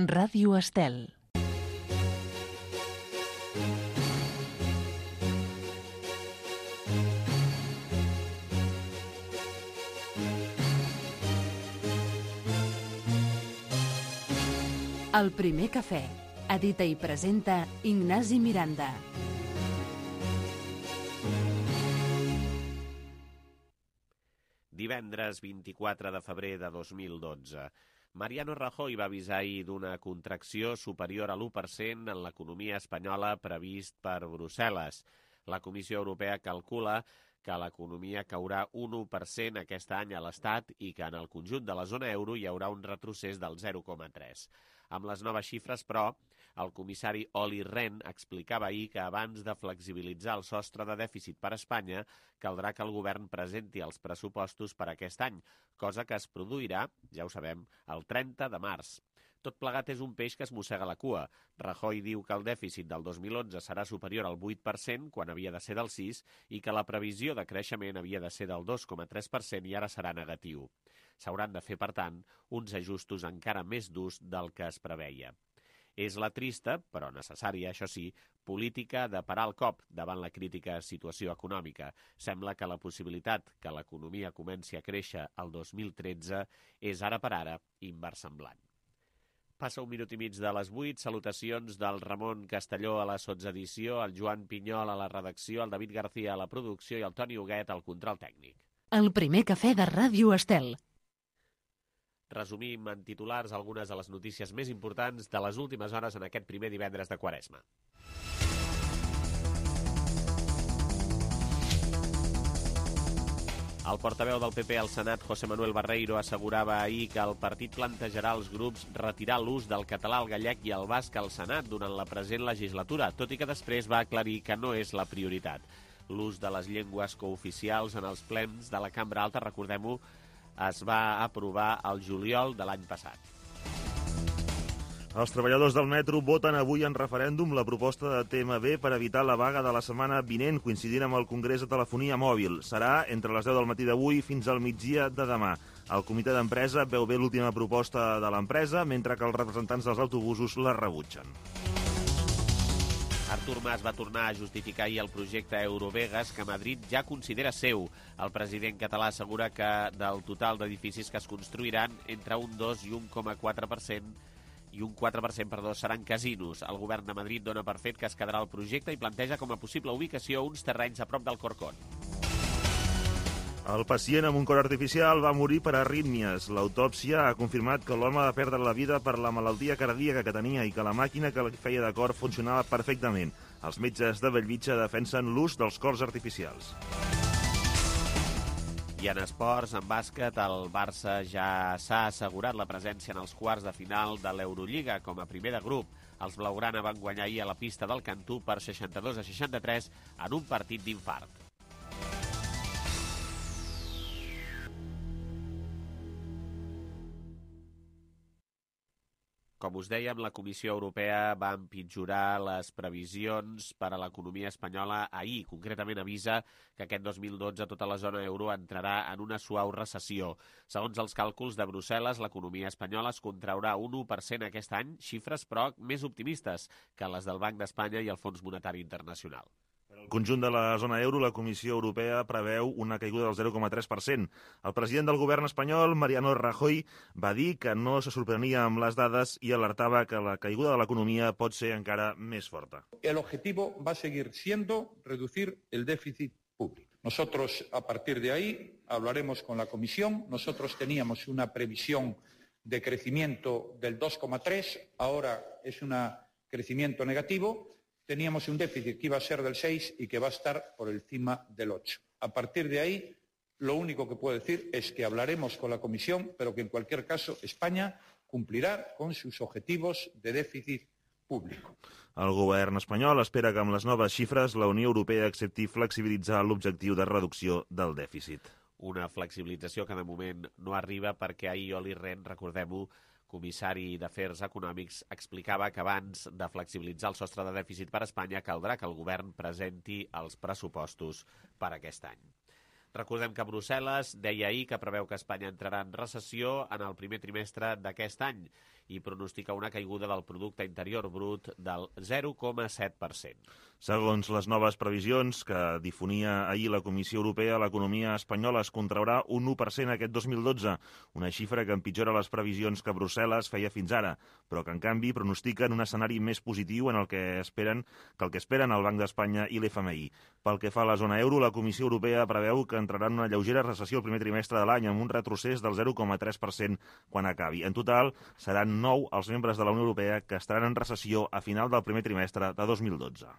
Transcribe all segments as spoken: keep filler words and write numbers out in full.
Ràdio Estel. El primer cafè. Edita i presenta Ignasi Miranda. Divendres vint-i-quatre de febrer de dos mil dotze. Mariano Rajoy va avisar ahir d'una contracció superior a l'u per cent en l'economia espanyola previst per Brussel·les. La Comissió Europea calcula que l'economia caurà un u per cent aquest any a l'Estat i que en el conjunt de la zona euro hi haurà un retrocés del zero coma tres. Amb les noves xifres, però, el comissari Olli Rehn explicava ahir que abans de flexibilitzar el sostre de dèficit per a Espanya, caldrà que el govern presenti els pressupostos per aquest any, cosa que es produirà, ja ho sabem, el trenta de març. Tot plegat és un peix que es mossega la cua. Rajoy diu que el dèficit del dos mil onze serà superior al vuit per cent, quan havia de ser del sis, i que la previsió de creixement havia de ser del dos coma tres per cent i ara serà negatiu. S'hauran de fer, per tant, uns ajustos encara més durs del que es preveia. És la trista, però necessària, això sí, política de parar el cop davant la crítica situació econòmica. Sembla que la possibilitat que l'economia comenci a créixer el dos mil tretze és ara per ara inversemblant. Passa un minut i mig de les vuit. Salutacions del Ramon Castelló a la sotsedició, el Joan Pinyol a la redacció, el David García a la producció i el Toni Huguet al control tècnic. El primer cafè de Ràdio Estel. Resumim en titulars algunes de les notícies més importants de les últimes hores en aquest primer divendres de Quaresma. El portaveu del P P al Senat, José Manuel Barreiro, assegurava ahir que el partit plantejarà als grups retirar l'ús del català, el gallec i el basc al Senat durant la present legislatura, tot i que després va aclarir que no és la prioritat. L'ús de les llengües cooficials en els plens de la Cambra Alta, recordem-ho, es va aprovar el juliol de l'any passat. Els treballadors del metro voten avui en referèndum la proposta de T M B per evitar la vaga de la setmana vinent, coincidint amb el Congrés de Telefonia Mòbil. Serà entre les deu del matí d'avui fins al migdia de demà. El comitè d'empresa veu bé l'última proposta de l'empresa, mentre que els representants dels autobusos la rebutgen. Artur Mas va tornar a justificar ahir el projecte Eurovegas, que Madrid ja considera seu. El president català assegura que del total d'edificis que es construiran, entre un dos i un coma quatre per cent i un quatre per cent, perdó, seran casinos. El govern de Madrid dona per fet que es quedarà el projecte i planteja com a possible ubicació uns terrenys a prop del Corcón. El pacient amb un cor artificial va morir per arrítmies. L'autòpsia ha confirmat que l'home va perdre la vida per la malaltia cardíaca que tenia i que la màquina que feia de cor funcionava perfectament. Els metges de Bellvitge defensen l'ús dels cors artificials. I en esports, en bàsquet, el Barça ja s'ha assegurat la presència en els quarts de final de l'Eurolliga com a primer de grup. Els blaugrana van guanyar ahir a la pista del Cantú per seixanta-dos a seixanta-tres en un partit d'infart. Com us dèiem, la Comissió Europea va empitjorar les previsions per a l'economia espanyola ahir. Concretament avisa que aquest dos mil dotze tota la zona euro entrarà en una suau recessió. Segons els càlculs de Brussel·les, l'economia espanyola es contraurà un u per cent aquest any, xifres però més optimistes que les del Banc d'Espanya i el Fons Monetari Internacional. Per al conjunt de la zona euro, la Comissió Europea preveu una caiguda del zero coma tres per cent. El president del govern espanyol, Mariano Rajoy, va dir que no se sorprenia amb les dades i alertava que la caiguda de l'economia pot ser encara més forta. El objetivo va a seguir siendo reducir el déficit público. Nosotros, a partir de ahí, hablaremos con la Comisión. Nosotros teníamos una previsión de crecimiento del dos coma tres, ahora es un crecimiento negativo. Teníamos un déficit que iba a ser del seis y que va a estar por encima del ocho. A partir de ahí, lo único que puedo decir es que hablaremos con la Comisión, pero que en cualquier caso España cumplirá con sus objetivos de déficit público. El govern espanyol espera que amb les noves xifres la Unió Europea accepti flexibilitzar l'objectiu de reducció del dèficit. Una flexibilització que de moment no arriba perquè ahir Olli Rehn, recordem-ho, comissari d'Afers Econòmics, explicava que abans de flexibilitzar el sostre de dèficit per a Espanya caldrà que el govern presenti els pressupostos per aquest any. Recordem que Brussel·les deia ahir que preveu que Espanya entrarà en recessió en el primer trimestre d'aquest any i pronostica una caiguda del producte interior brut del zero coma set per cent. Segons les noves previsions que difonia ahir la Comissió Europea, l'economia espanyola es contraurà un u per cent aquest dos mil dotze, una xifra que empitjora les previsions que Brussel·les feia fins ara, però que en canvi pronostiquen un escenari més positiu en el que esperen que el que esperen el Banc d'Espanya i l'F M I. Pel que fa a la zona euro, la Comissió Europea preveu que entrarà en una lleugera recessió el primer trimestre de l'any amb un retrocés del zero coma tres per cent quan acabi. En total, seran nou els membres de la Unió Europea que estaran en recessió a final del primer trimestre de dos mil dotze.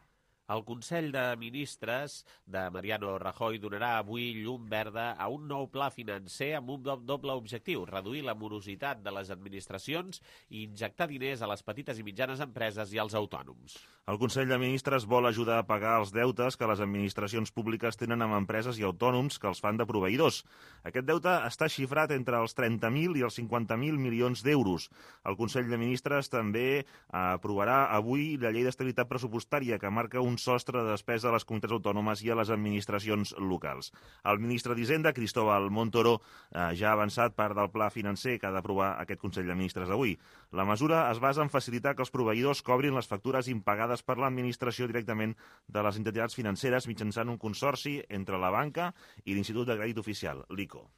El Consell de Ministres de Mariano Rajoy donarà avui llum verda a un nou pla financer amb un doble objectiu, reduir la morositat de les administracions i injectar diners a les petites i mitjanes empreses i als autònoms. El Consell de Ministres vol ajudar a pagar els deutes que les administracions públiques tenen amb empreses i autònoms que els fan de proveïdors. Aquest deute està xifrat entre els trenta mil i els cinquanta mil milions d'euros. El Consell de Ministres també aprovarà avui la llei d'estabilitat pressupostària que marca un sostre de despesa a les comunitats autònomes i a les administracions locals. El ministre d'Hisenda, Cristóbal Montoro, eh, ja ha avançat part del pla financer que ha d'aprovar aquest Consell de Ministres d'avui. La mesura es basa en facilitar que els proveïdors cobrin les factures impagades per l'administració directament de les entitats financeres mitjançant un consorci entre la banca i l'Institut de Crèdit Oficial, l'I C O.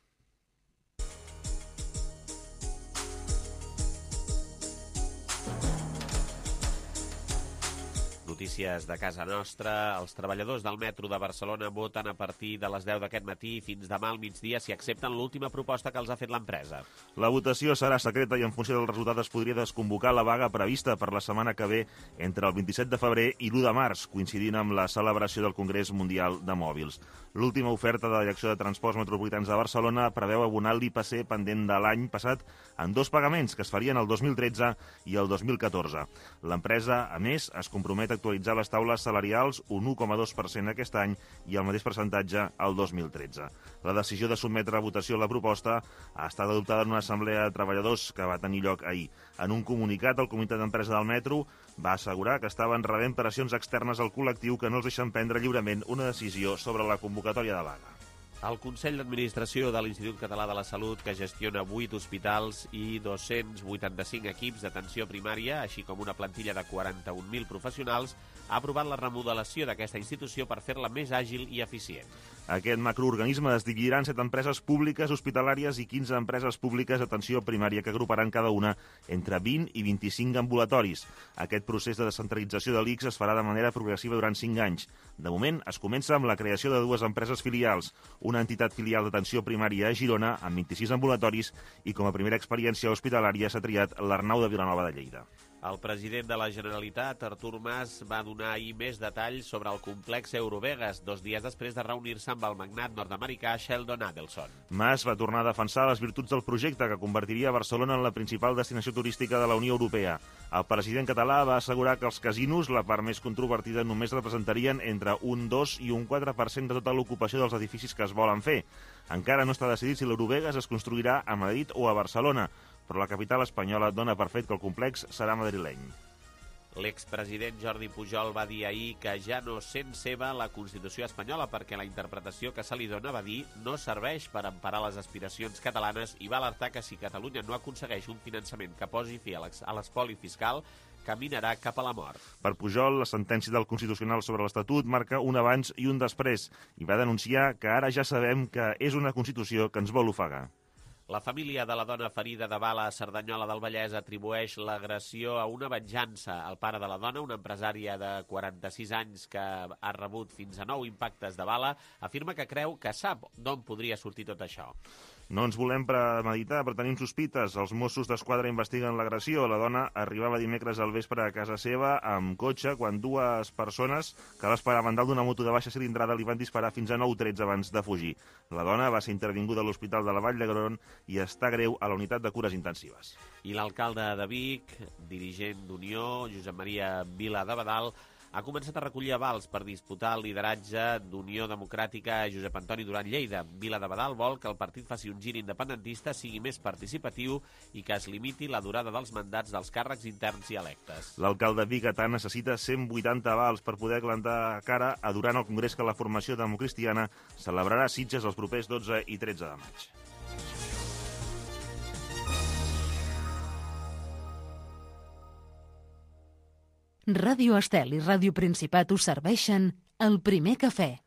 Notícies de casa nostra. Els treballadors del metro de Barcelona voten a partir de les deu d'aquest matí fins demà al migdia si accepten l'última proposta que els ha fet l'empresa. La votació serà secreta i en funció del resultat es podria desconvocar la vaga prevista per la setmana que ve entre el vint-i-set de febrer i l'u de març, coincidint amb la celebració del Congrés Mundial de Mòbils. L'última oferta de la Direcció de Transports Metropolitans de Barcelona preveu abonar l'I P C pendent de l'any passat en dos pagaments que es farien el dos mil tretze i el dos mil catorze. L'empresa, a més, es compromet a actualitzar les taules salarials un u coma dos per cent aquest any i el mateix percentatge el dos mil tretze. La decisió de sotmetre a votació la proposta ha estat adoptada en una assemblea de treballadors que va tenir lloc ahir. En un comunicat, el comitè d'empresa del metro va assegurar que estaven rebent pressions externes al col·lectiu que no els deixen prendre lliurement una decisió sobre la convocatòria de vaga. El Consell d'Administració de l'Institut Català de la Salut, que gestiona vuit hospitals i dos-cents vuitanta-cinc equips d'atenció primària, així com una plantilla de quaranta-un mil professionals, ha aprovat la remodelació d'aquesta institució per fer-la més àgil i eficient. Aquest macroorganisme es dividirà en set empreses públiques hospitalàries i quinze empreses públiques d'atenció primària que agruparan cada una entre vint i vint-i-cinc ambulatoris. Aquest procés de descentralització de l'I C S es farà de manera progressiva durant cinc anys. De moment, es comença amb la creació de dues empreses filials, una entitat filial d'atenció primària a Girona amb vint-i-sis ambulatoris i com a primera experiència hospitalària s'ha triat l'Arnau de Vilanova de Lleida. El president de la Generalitat, Artur Mas, va donar ahir més detalls sobre el complex Eurovegas, dos dies després de reunir-se amb el magnat nord-americà Sheldon Adelson. Mas va tornar a defensar les virtuts del projecte que convertiria Barcelona en la principal destinació turística de la Unió Europea. El president català va assegurar que els casinos, la part més controvertida, només representarien entre un dos i un quatre per cent de tota l'ocupació dels edificis que es volen fer. Encara no està decidit si l'Eurovegas es construirà a Madrid o a Barcelona, però la capital espanyola dona per fet que el complex serà madrileny. L'expresident Jordi Pujol va dir ahir que ja no sent seva la Constitució espanyola perquè la interpretació que se li dona, va dir, no serveix per emparar les aspiracions catalanes i va alertar que si Catalunya no aconsegueix un finançament que posi fi a l'espoli fiscal, caminarà cap a la mort. Per Pujol, la sentència del Constitucional sobre l'Estatut marca un abans i un després i va denunciar que ara ja sabem que és una Constitució que ens vol ofegar. La família de la dona ferida de bala a Cerdanyola del Vallès atribueix l'agressió a una venjança. El pare de la dona, una empresària de quaranta-sis anys que ha rebut fins a nou impactes de bala, afirma que creu que sap d'on podria sortir tot això. No ens volem premeditar, però tenim sospites. Els Mossos d'Esquadra investiguen l'agressió. La dona arribava dimecres al vespre a casa seva amb cotxe quan dues persones que l'esperaven dalt d'una moto de baixa cilindrada li van disparar fins a nou trets abans de fugir. La dona va ser intervinguda a l'Hospital de la Vall d'Hebron i està greu a la unitat de cures intensives. I l'alcalde de Vic, dirigent d'Unió, Josep Maria Vila de Badal, ha començat a recollir avals per disputar el lideratge d'Unió Democràtica Josep Antoni Duran Lleida. Vila de Badal vol que el partit faci un gir independentista, sigui més participatiu i que es limiti la durada dels mandats dels càrrecs interns i electes. L'alcalde biguetà necessita cent vuitanta avals per poder plantar cara a durant el congrés que la formació democristiana celebrarà a Sitges els propers dotze i tretze de maig. Ràdio Estel i Ràdio Principat us serveixen el primer cafè.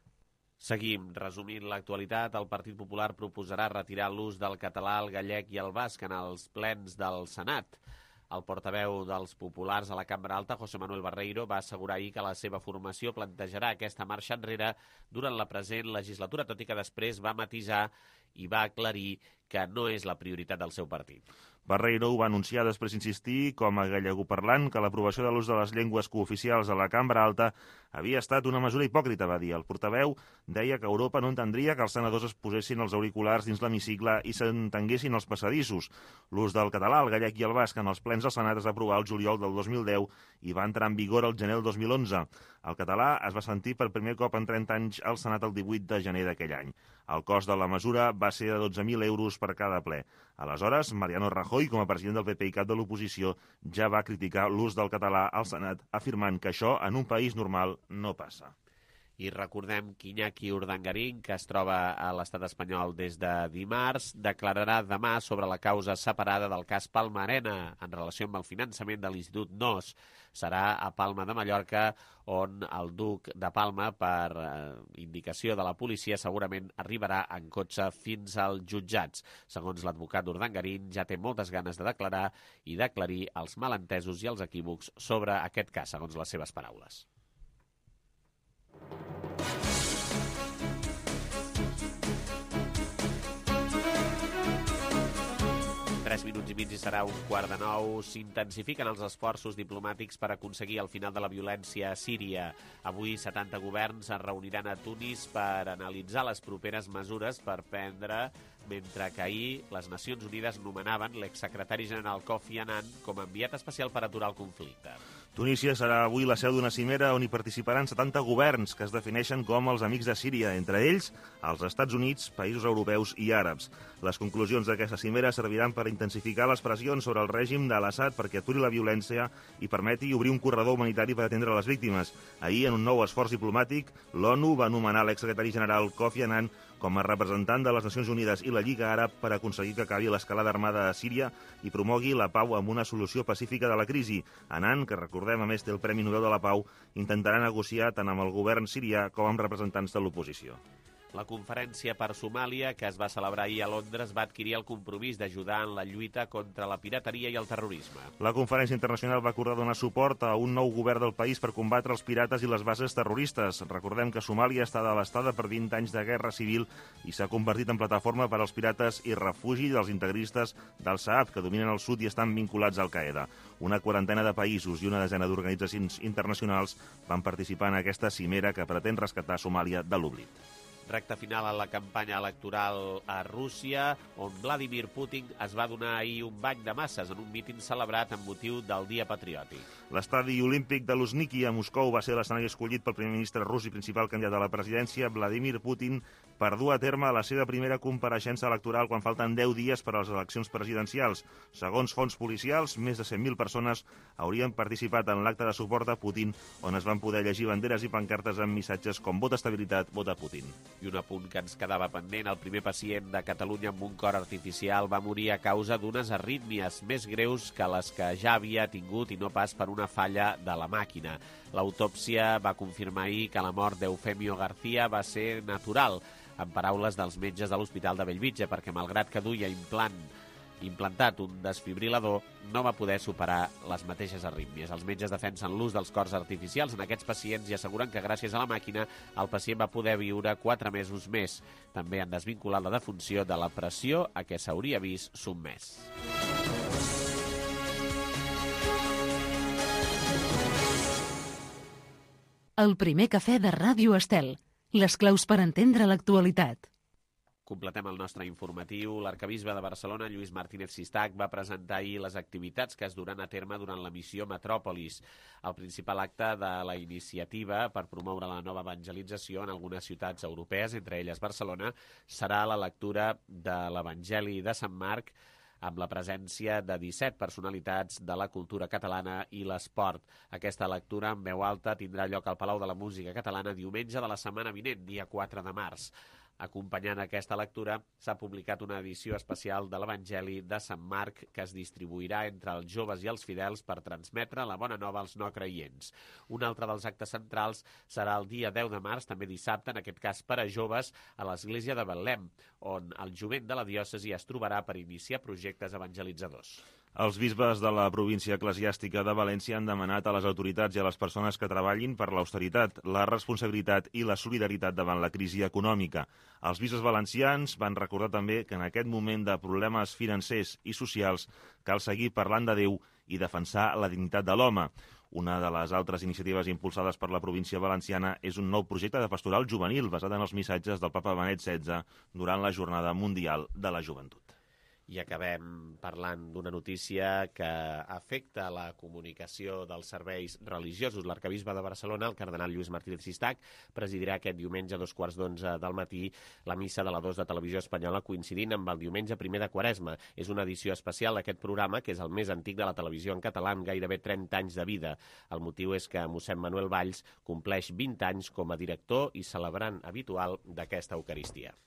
Seguim. Resumint l'actualitat, el Partit Popular proposarà retirar l'ús del català, el gallec i el basc en els plens del Senat. El portaveu dels populars a la Cambra Alta, José Manuel Barreiro, va assegurar ahir que la seva formació plantejarà aquesta marxa enrere durant la present legislatura, tot i que després va matisar i va aclarir que no és la prioritat del seu partit. Barreiro ho va anunciar després insistir, com a gallegoparlant, que l'aprovació de l'ús de les llengües cooficials a la Cambra Alta havia estat una mesura hipòcrita, va dir. El portaveu deia que Europa no entendria que els senadors es posessin els auriculars dins l'hemicicle i s'entenguessin els passadissos. L'ús del català, el gallec i el basc en els plens del Senat es va aprovar el juliol del dos mil deu i va entrar en vigor el gener del dos mil onze. El català es va sentir per primer cop en trenta anys al Senat el divuit de gener d'aquell any. El cost de la mesura va ser de dotze mil euros per cada ple. Aleshores, Mariano Rajoy, com a president del P P i cap de l'oposició, ja va criticar l'ús del català al Senat, afirmant que això en un país normal no passa. I recordem que Iñaki Urdangarín, que es troba a l'estat espanyol des de dimarts, declararà demà sobre la causa separada del cas Palma Arena en relació amb el finançament de l'Institut N O S. Serà a Palma de Mallorca, on el duc de Palma, per eh, indicació de la policia, segurament arribarà en cotxe fins als jutjats. Segons l'advocat Urdangarín, ja té moltes ganes de declarar i d'aclarir els malentesos i els equívocs sobre aquest cas, segons les seves paraules. Tres minuts i mig i serà un quart de nou. S'intensifiquen els esforços diplomàtics per aconseguir el final de la violència a Síria. Avui setanta governs es reuniran a Tunis per analitzar les properes mesures per prendre, mentre que ahir les Nacions Unides nomenaven l'exsecretari general Kofi Annan com a enviat especial per aturar el conflicte. Tunísia serà avui la seu d'una cimera on hi participaran setanta governs que es defineixen com els amics de Síria, entre ells els Estats Units, països europeus i àrabs. Les conclusions d'aquesta cimera serviran per intensificar les pressions sobre el règim de l'Assad perquè aturi la violència i permeti obrir un corredor humanitari per atendre les víctimes. Ahir, en un nou esforç diplomàtic, l'ONU va nomenar l'exsecretari general Kofi Annan com a representant de les Nacions Unides i la Lliga Àrab per aconseguir que acabi l'escalada armada a Síria i promogui la pau amb una solució pacífica de la crisi. Annan, que recordem a més té el Premi Nobel de la Pau, intentarà negociar tant amb el govern sirià com amb representants de l'oposició. La conferència per Somàlia, que es va celebrar ahir a Londres, va adquirir el compromís d'ajudar en la lluita contra la pirateria i el terrorisme. La conferència internacional va acordar donar suport a un nou govern del país per combatre els pirates i les bases terroristes. Recordem que Somàlia està devastada per vint anys de guerra civil i s'ha convertit en plataforma per als pirates i refugi dels integristes del Saab, que dominen el sud i estan vinculats al Al-Qaeda. Una quarantena de països i una desena d'organitzacions internacionals van participar en aquesta cimera que pretén rescatar Somàlia de l'oblit. Recta final a la campanya electoral a Rússia, on Vladimir Putin es va donar ahir un bany de masses en un míting celebrat amb motiu del Dia Patriòtic. L'estadi olímpic de Luzhniki a Moscou va ser l'escenari escollit pel primer ministre rus i principal candidat a la presidència, Vladimir Putin, per dur a terme la seva primera compareixença electoral quan falten deu dies per a les eleccions presidencials. Segons fonts policials, més de cent mil persones haurien participat en l'acte de suport a Putin, on es van poder llegir banderes i pancartes amb missatges com "Vota estabilitat, vota Putin". I un apunt que ens quedava pendent, el primer pacient de Catalunya amb un cor artificial va morir a causa d'unes arrítmies més greus que les que ja havia tingut i no pas per una falla de la màquina. L'autòpsia va confirmar ahir que la mort d'Eufemio García va ser natural, en paraules dels metges de l'Hospital de Bellvitge, perquè malgrat que duia implant implantat un desfibrilador, no va poder superar les mateixes arrítmies. Els metges defensen l'ús dels cors artificials en aquests pacients i asseguren que gràcies a la màquina el pacient va poder viure quatre mesos més. També han desvinculat la defunció de la pressió a què s'hauria vist sotmès. El primer cafè de Ràdio Estel. Les claus per entendre l'actualitat. Completem el nostre informatiu. L'arcabisbe de Barcelona, Lluís Martínez Sistac, va presentar ahir les activitats que es duran a terme durant la missió Metròpolis, el principal acte de la iniciativa per promoure la nova evangelització en algunes ciutats europees, entre elles Barcelona, serà la lectura de l'Evangeli de Sant Marc amb la presència de disset personalitats de la cultura catalana i l'esport. Aquesta lectura en veu alta tindrà lloc al Palau de la Música Catalana diumenge de la setmana vinent, dia quatre de març. Acompanyant aquesta lectura, s'ha publicat una edició especial de l'Evangeli de Sant Marc que es distribuirà entre els joves i els fidels per transmetre la bona nova als no creients. Un altre dels actes centrals serà el dia deu de març, també dissabte, en aquest cas per a joves, a l'església de Betlem, on el jovent de la diòcesi es trobarà per iniciar projectes evangelitzadors. Els bisbes de la província eclesiàstica de València han demanat a les autoritats i a les persones que treballin per l'austeritat, la responsabilitat i la solidaritat davant la crisi econòmica. Els bisbes valencians van recordar també que en aquest moment de problemes financers i socials cal seguir parlant de Déu i defensar la dignitat de l'home. Una de les altres iniciatives impulsades per la província valenciana és un nou projecte de pastoral juvenil basat en els missatges del papa Benet setze durant la Jornada Mundial de la Joventut. I acabem parlant d'una notícia que afecta la comunicació dels serveis religiosos. L'arcabisbe de Barcelona, el cardenal Lluís Martínez Sistac, presidirà aquest diumenge a dos quarts d'onze del matí la missa de la dos de Televisió Espanyola, coincidint amb el diumenge primer de Quaresma. És una edició especial d'aquest programa, que és el més antic de la televisió en català, amb gairebé trenta anys de vida. El motiu és que mossèn Manuel Valls compleix vint anys com a director i celebrant habitual d'aquesta Eucaristia.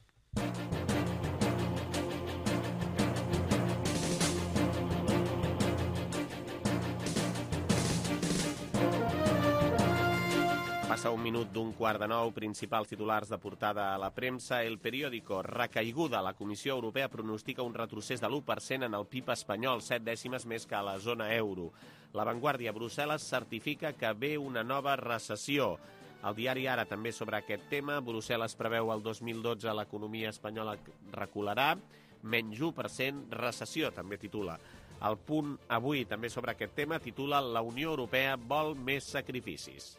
Passa un minut d'un quart de nou, principals titulars de portada a la premsa. El periòdico, recaiguda. La Comissió Europea pronostica un retrocés de l'u per cent en el P I B espanyol, set dècimes més que a la zona euro. La Vanguardia, Brussel·les certifica que ve una nova recessió. El diari Ara també sobre aquest tema. Brussel·les preveu el dos mil dotze l'economia espanyola recularà, menys u per cent, recessió, també titula. El Punt avui també sobre aquest tema titula La Unió Europea vol més sacrificis.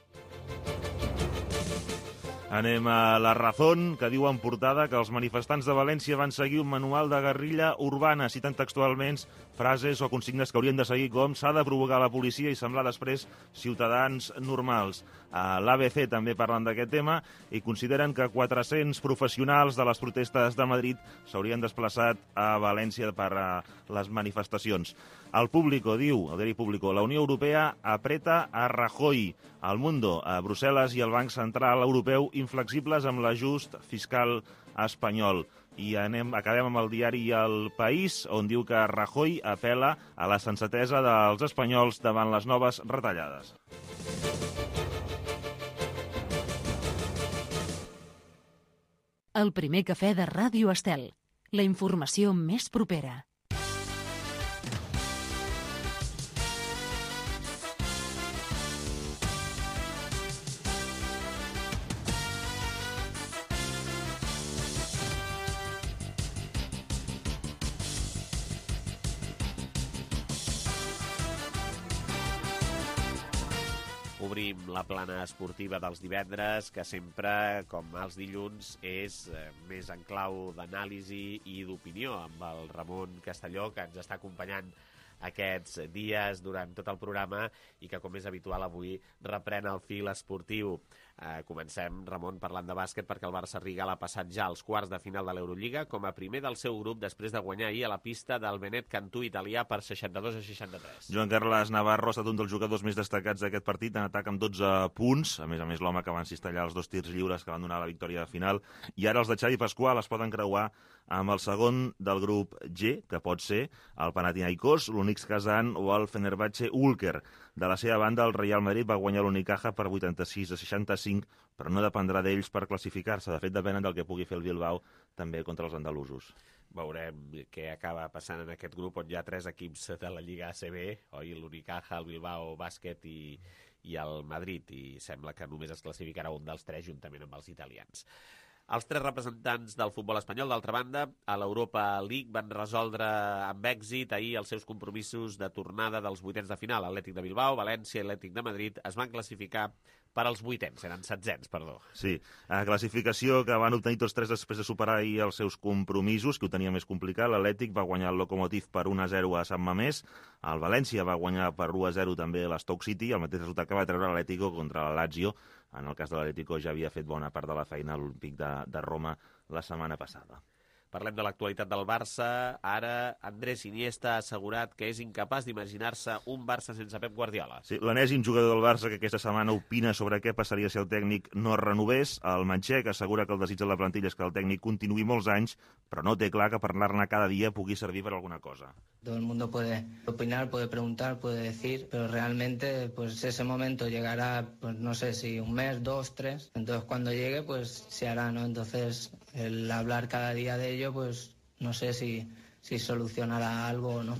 Anem a La Razón, que diu en portada que els manifestants de València van seguir un manual de guerrilla urbana, citant textualment frases o consignes que haurien de seguir com s'ha de provocar la policia i semblar després ciutadans normals. A l'A B C també parlen d'aquest tema i consideren que quatre-cents professionals de les protestes de Madrid s'haurien desplaçat a València per a les manifestacions. El Público diu, el diari Público, la Unió Europea apreta a Rajoy. El Mundo, a Brussel·les i el Banc Central Europeu inflexibles amb l'ajust fiscal espanyol. I anem, acabem amb el diari El País, on diu que Rajoy apela a la sensatesa dels espanyols davant les noves retallades. El primer cafè de Ràdio Estel. La informació més propera. Obrim la plana esportiva dels divendres, que sempre, com els dilluns, és eh, més en clau d'anàlisi i d'opinió, amb el Ramon Castelló, que ens està acompanyant aquests dies durant tot el programa i que, com és habitual, avui reprèn el fil esportiu. Eh, comencem, Ramon, parlant de bàsquet, perquè el Barça Rigal ha passat ja als quarts de final de l'Eurolliga com a primer del seu grup després de guanyar ahir a la pista del Benet Cantú italià per seixanta-dos a seixanta-tres. Joan Carles Navarro ha estat un dels jugadors més destacats d'aquest partit, en atac amb dotze punts, a més a més l'home que va encistellar els dos tirs lliures que van donar la victòria final, i ara els de Xavi Pasqual es poden creuar amb el segon del grup G, que pot ser el Panathinaikos, l'Unix Kazan o el Fenerbahçe Ulker. De la seva banda, el Real Madrid va guanyar l'Unicaja per vuitanta-sis a seixanta-cinc, però no dependrà d'ells per classificar-se. De fet, depenen del que pugui fer el Bilbao també contra els andalusos. Veurem què acaba passant en aquest grup on hi ha tres equips de la Lliga A C B, oi? L'Unicaja, el Bilbao Bàsquet i, i el Madrid, i sembla que només es classificarà un dels tres juntament amb els italians. Els tres representants del futbol espanyol, d'altra banda, a l'Europa League van resoldre amb èxit ahir els seus compromisos de tornada dels vuitens de final. Atlètic de Bilbao, València i Atlètic de Madrid es van classificar per als vuitens, eren setzents, perdó. Sí, a classificació que van obtenir tots tres després de superar ahir els seus compromisos, que ho tenia més complicat. L'Atlètic va guanyar el Lokomotiv per un a zero a Sant Mamés, el València va guanyar per u a zero també l'Stoke City, el mateix resultat que va treure l'Atlético contra la Lazio. En el cas de l'Atlético ja havia fet bona part de la feina a l'Olímpic de, de Roma la setmana passada. Parlem de l'actualitat del Barça. Ara Andrés Iniesta ha assegurat que és incapaç d'imaginar-se un Barça sense Pep Guardiola. Sí, l'enèsim jugador del Barça que aquesta setmana opina sobre què passaria si el tècnic no es renovés. El manxec assegura que el desig de la plantilla és que el tècnic continuï molts anys, però no té clar que parlar-ne cada dia pugui servir per alguna cosa. Todo el mundo puede opinar, puede preguntar, puede decir, pero realmente pues ese momento llegará, pues no sé si un mes, dos, tres. Entonces cuando llegue pues se hará, ¿no? Entonces el hablar cada día de ello pues no sé si, si solucionará algo o no.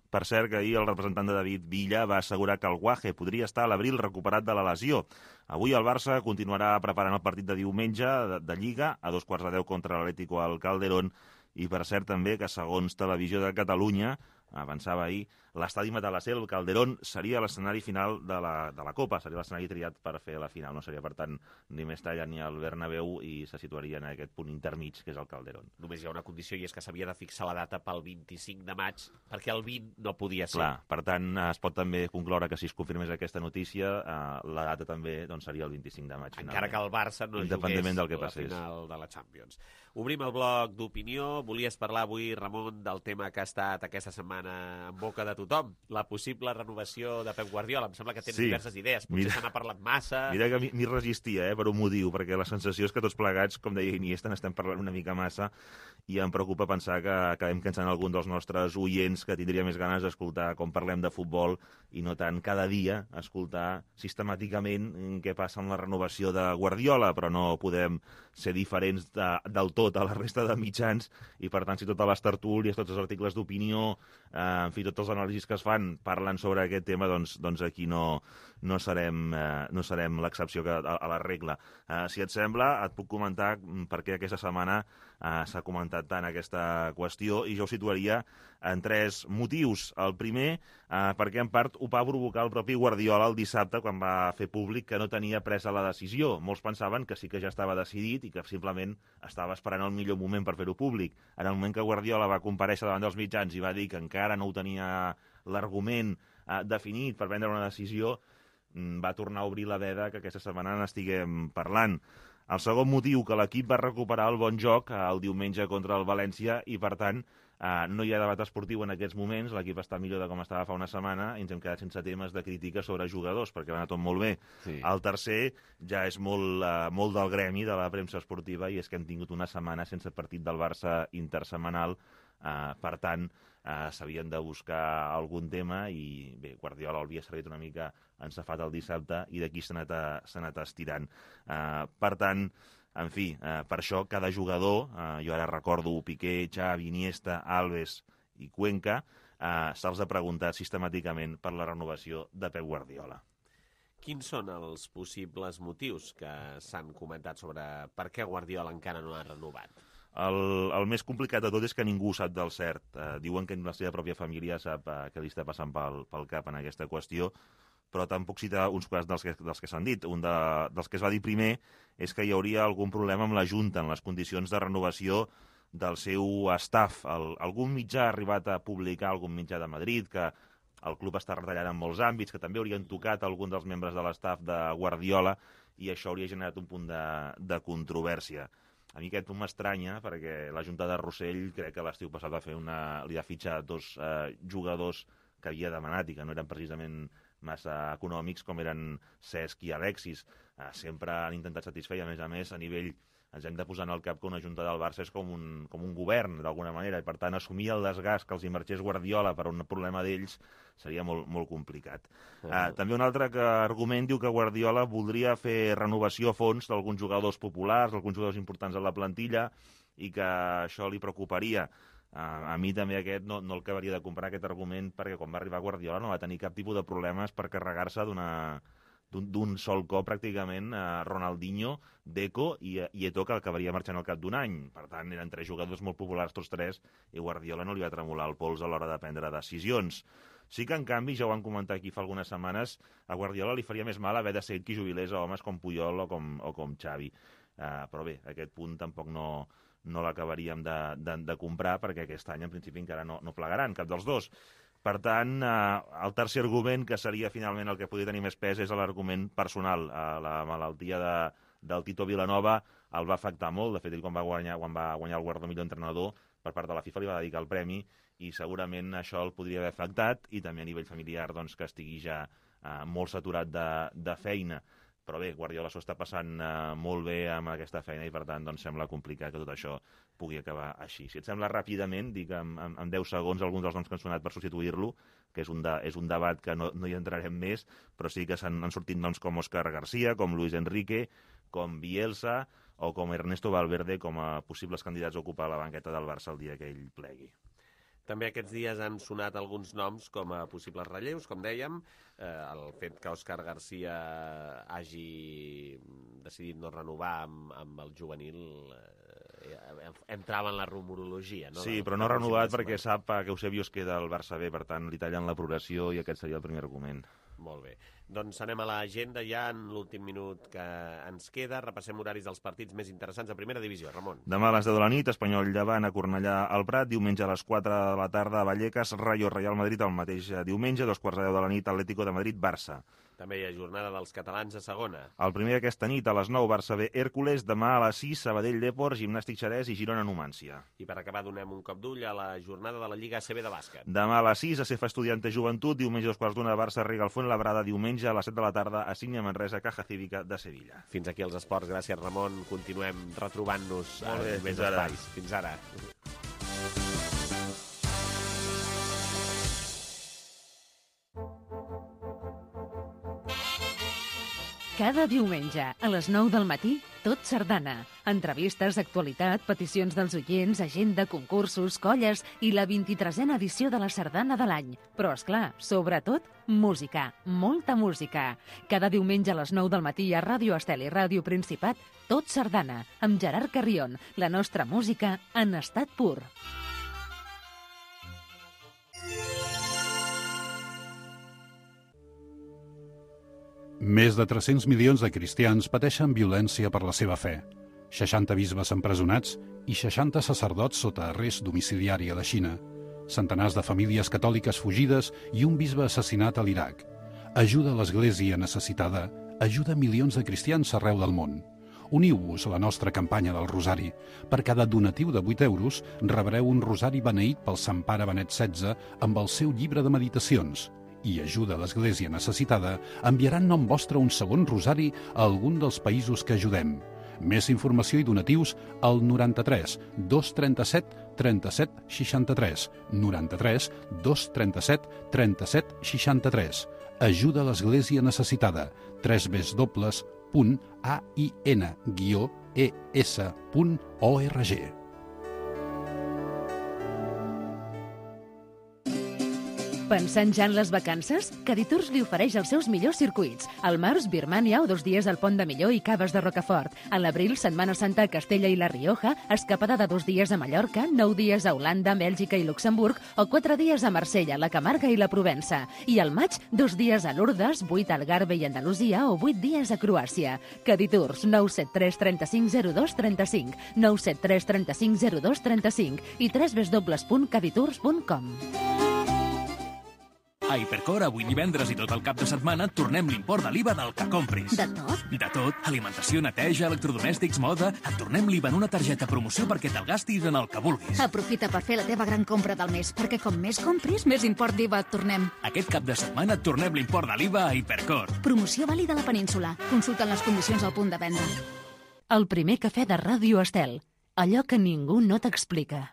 Per cert, que ahir el representant de David Villa va assegurar que el Guaje podria estar a l'abril recuperat de la lesió. Avui el Barça continuarà preparant el partit de diumenge de, de Lliga a dos quarts de deu contra l'Atlético al Calderón i per cert també que segons Televisió de Catalunya avançava ahir, l'estadi Matalasser, el Calderón, seria l'escenari final de la, de la Copa, seria l'escenari triat per fer la final, no seria per tant ni Mestalla ni el Bernabéu i se situaria en aquest punt intermig que és el Calderón. Només hi ha una condició i és que s'havia de fixar la data pel vint-i-cinc de maig perquè el vint no podia ser. Clar, per tant es pot també concloure que si es confirmés aquesta notícia eh, la data també doncs, seria el vint-i-cinc de maig. Encara que el Barça no jugués del que la final de la Champions. Obrim el bloc d'opinió. Volies parlar avui, Ramon, del tema que ha estat aquesta setmana en boca de tothom, la possible renovació de Pep Guardiola. Em sembla que tens sí. diverses idees, potser se n'ha parlat massa... Mira que m'hi resistia, eh, per un motiu, perquè la sensació és que tots plegats, com deia Iniesta, n'estem parlant una mica massa i em preocupa pensar que acabem cansant algun dels nostres oients que tindria més ganes d'escoltar com parlem de futbol i no tant cada dia escoltar sistemàticament què passa amb la renovació de Guardiola, però no podem ser diferents de, del tot a la resta de mitjans i per tant si totes les tertúlies, tots els articles d'opinió, eh, en fi, tots els anàlisis que es fan parlen sobre aquest tema, doncs, doncs aquí no, no serem, eh, no serem l'excepció a, a la regla. Eh, si et sembla, et puc comentar per què aquesta setmana eh, s'ha comentat tant aquesta qüestió i jo ho situaria en tres motius. El primer, eh, perquè en part ho va provocar el propi Guardiola el dissabte quan va fer públic que no tenia presa la decisió. Molts pensaven que sí que ja estava decidit i que simplement estava esperant el millor moment per fer-ho públic. En el moment que Guardiola va comparèixer davant dels mitjans i va dir que encara no ho tenia l'argument eh, definit per prendre una decisió, va tornar a obrir la veda que aquesta setmana n'estiguem parlant. El segon motiu, que l'equip va recuperar el bon joc el diumenge contra el València i, per tant, eh, no hi ha debat esportiu en aquests moments, l'equip està millor de com estava fa una setmana i ens hem quedat sense temes de crítica sobre jugadors, perquè va anar tot molt bé. Sí. El tercer ja és molt, eh, molt del gremi de la premsa esportiva i és que hem tingut una setmana sense partit del Barça intersetmanal, eh, per tant, eh, s'havien de buscar algun tema i bé, Guardiola havia servit una mica ensafat el dissabte i d'aquí s'ha anat, anat estirant. Eh, per tant, en fi, eh, per això cada jugador, eh, jo ara recordo Piqué, Xavi, Iniesta, Alves i Cuenca, eh, se'ls ha preguntat sistemàticament per la renovació de Pep Guardiola. Quins són els possibles motius que s'han comentat sobre per què Guardiola encara no ha renovat? El, el més complicat de tot és que ningú sap del cert. Eh, diuen que la seva pròpia família sap eh, què li està passant pel, pel cap en aquesta qüestió, però tampoc cita uns quants dels que, dels que s'han dit. Un de, dels que es va dir primer és que hi hauria algun problema amb la Junta en les condicions de renovació del seu staff. El, algun mitjà ha arribat a publicar, algun mitjà de Madrid, que el club està retallant en molts àmbits, que també haurien tocat algun dels membres de l'staff de Guardiola i això hauria generat un punt de, de controvèrsia. A mi aquest punt m'estranya perquè la Junta de Rossell crec que l'estiu passat va fer una, li ha fitxat dos eh, jugadors que havia demanat i que no eren precisament massa econòmics com eren Cesc i Alexis. Eh, sempre han intentat satisfer i a més a més a nivell ens hem de posar en el cap que una Junta del Barça és com un, com un govern d'alguna manera i per tant assumir el desgast que els hi marxés Guardiola per un problema d'ells seria molt, molt complicat. Uh -huh. eh, també un altre que argument diu que Guardiola voldria fer renovació a fons d'alguns jugadors populars, alguns jugadors importants a la plantilla i que això li preocuparia. Uh, a mi també aquest no, no el acabaria de comprar aquest argument perquè quan va arribar Guardiola no va tenir cap tipus de problemes per carregar-se d'una d'un sol cop pràcticament a Ronaldinho, Deco i, i Eto'o, que acabaria marxant al cap d'un any. Per tant, eren tres jugadors molt populars tots tres i Guardiola no li va tremolar el pols a l'hora de prendre decisions. Sí que, en canvi, ja ho van comentar aquí fa algunes setmanes, a Guardiola li faria més mal haver de ser qui jubilés a homes com Puyol o com, o com Xavi. Uh, però bé, aquest punt tampoc no, no l'acabaríem de, de, de comprar perquè aquest any, en principi, encara no, no plegaran cap dels dos. Per tant, eh, el tercer argument, que seria finalment el que podria tenir més pes, és l'argument personal. Eh, la malaltia de, del Tito Vilanova el va afectar molt. De fet, ell quan va guanyar, quan va guanyar el guardó millor entrenador per part de la FIFA li va dedicar el premi i segurament això el podria haver afectat i també a nivell familiar doncs, que estigui ja eh, molt saturat de, de feina. Però bé, Guardiola s'ho està passant eh, molt bé amb aquesta feina i per tant doncs, sembla complicat que tot això pugui acabar així. Si et sembla ràpidament, dic en, en, en deu segons alguns dels noms que han sonat per substituir-lo, que és un, de, és un debat que no, no hi entrarem més, però sí que s'han han sortit noms com Òscar García, com Luis Enrique, com Bielsa o com Ernesto Valverde com a possibles candidats a ocupar la banqueta del Barça el dia que ell plegui. També aquests dies han sonat alguns noms com a possibles relleus, com dèiem. Eh, el fet que Òscar García hagi decidit no renovar amb, amb el juvenil eh, entrava en la rumorologia. No? Sí, però no ha renovat perquè sap que Eusebio es queda al Barça B, per tant li tallen la progressió i aquest seria el primer argument. Molt bé. Doncs anem a l'agenda ja en l'últim minut que ens queda. Repassem horaris dels partits més interessants de primera divisió. Ramon. Demà a les deu de la nit, Espanyol Llevant a Cornellà al Prat. Diumenge a les quatre de la tarda a Vallecas, Rayo Real Madrid el mateix diumenge. Dos quarts de deu de la nit, Atlético de Madrid, Barça. També hi ha jornada dels catalans a segona. El primer aquesta nit a les nou, Barça B, Hèrcules. Demà a les sis, Sabadell Depor, Gimnàstic Xerès i Girona Numància. I per acabar donem un cop d'ull a la jornada de la Lliga A C B de bàsquet. Demà a les sis, a Cefa Estudiante Joventut. Diumenge a dos quarts d'una, Barça Riga al Fuenlabrada. Diumenge a les set de la tarda, a Sínia Manresa, Caja Cívica de Sevilla. Fins aquí els esports. Gràcies, Ramon. Continuem retrobant-nos en més fins ara. espais. Fins ara. Cada diumenge, a les nou del matí, Tot Sardana. Entrevistes, actualitat, peticions dels oients, agenda, concursos, colles i la vint-i-tresena edició de la Sardana de l'any. Però, esclar, sobretot, música. Molta música. Cada diumenge a les nou del matí a Ràdio Estel i Ràdio Principat, Tot Sardana, amb Gerard Carrion. La nostra música en estat pur. Més de tres-cents milions de cristians pateixen violència per la seva fe. seixanta bisbes empresonats i seixanta sacerdots sota arrest domiciliari a la Xina. Centenars de famílies catòliques fugides i un bisbe assassinat a l'Iraq. Ajuda a l'Església necessitada. Ajuda milions de cristians arreu del món. Uniu-vos a la nostra campanya del Rosari. Per cada donatiu de vuit euros rebreu un rosari beneït pel Sant Pare Benet setze amb el seu llibre de meditacions. I Ajuda a l'Església necessitada enviarà en nom vostre un segon rosari a algun dels països que ajudem. Més informació i donatius al noranta-tres dos trenta-set trenta-set seixanta-tres, noranta-tres dos trenta-set trenta-set seixanta-tres. Ajuda a l'Església necessitada. tres w w w punt a i n guió e s punt org. Pensant ja en les vacances? Caditours li ofereix els seus millors circuits. Al març, Birmània o dos dies al Pont de Millor i Caves de Rocafort. A l'abril, Setmana Santa a Castella i La Rioja, escapada de dos dies a Mallorca, nou dies a Holanda, Bèlgica i Luxemburg o quatre dies a Marsella, la Camarga i la Provença. I al maig, dos dies a Lourdes, vuit a Algarve i Andalusia o vuit dies a Croàcia. Caditours, nou set tres trenta-cinc zero dos trenta-cinc, nou set tres trenta-cinc zero dos trenta-cinc i w w w punt caditours punt com. A Hipercor, avui divendres i tot el cap de setmana, tornem l'import de l'I V A del que compris. De tot? De tot. Alimentació, neteja, electrodomèstics, moda... Et tornem l'I V A en una targeta promoció perquè te'l gastis en el que vulguis. Aprofita per fer la teva gran compra del mes, perquè com més compris, més import d'I V A et tornem. Aquest cap de setmana et tornem l'import de l'I V A a Hipercor. Promoció vàlida a la península. Consulta les condicions al punt de venda. El primer cafè de Ràdio Estel. Allò que ningú no t'explica.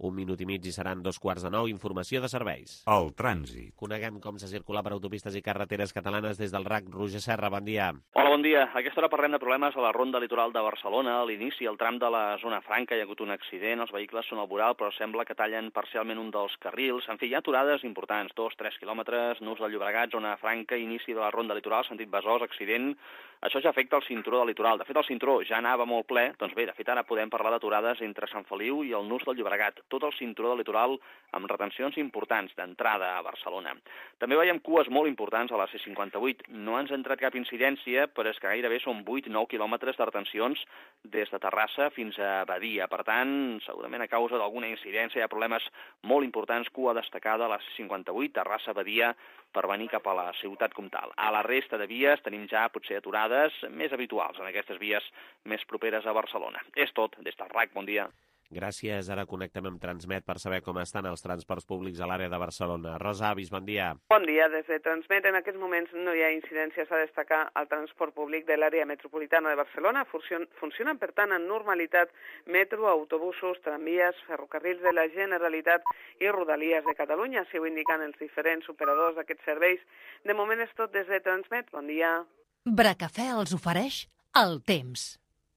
Un minut i mig i seran dos quarts de nou. Informació de serveis. El trànsit. Coneguem com se circula per autopistes i carreteres catalanes des del R A C. Roger Serra, bon dia. Hola, bon dia. A aquesta hora parlem de problemes a la ronda litoral de Barcelona. A l'inici, al tram de la zona franca, hi ha hagut un accident. Els vehicles són al voral, però sembla que tallen parcialment un dels carrils. En fi, hi ha aturades importants, dos, tres quilòmetres, Nus del Llobregat, zona franca, inici de la ronda litoral, sentit Besòs, accident. Això ja afecta el cinturó del litoral. De fet, el cinturó ja anava molt ple. Doncs bé, de fet, ara podem parlar d'aturades entre Sant Feliu i el Nus del Llobregat. tot el cinturó del litoral amb retencions importants d'entrada a Barcelona. També veiem cues molt importants a la C cinquanta-vuit. No ens ha entrat cap incidència, però és que gairebé són vuit nou quilòmetres de retencions des de Terrassa fins a Badia. Per tant, segurament a causa d'alguna incidència hi ha problemes molt importants, cua destacada a la C cinquanta-vuit, Terrassa-Badia, per venir cap a la ciutat comtal. A la resta de vies tenim ja potser aturades més habituals en aquestes vies més properes a Barcelona. És tot. Des del R A C, bon dia. Gràcies. Ara connectem amb Transmet per saber com estan els transports públics a l'àrea de Barcelona. Rosa Avis, bon dia. Bon dia. Des de Transmet en aquests moments no hi ha incidències a destacar al transport públic de l'àrea metropolitana de Barcelona. Funcionen, per tant, en normalitat metro, autobusos, tramvies, ferrocarrils de la Generalitat i Rodalies de Catalunya. Així ho indiquen els diferents operadors d'aquests serveis. De moment és tot des de Transmet. Bon dia. Bracafè els ofereix el temps.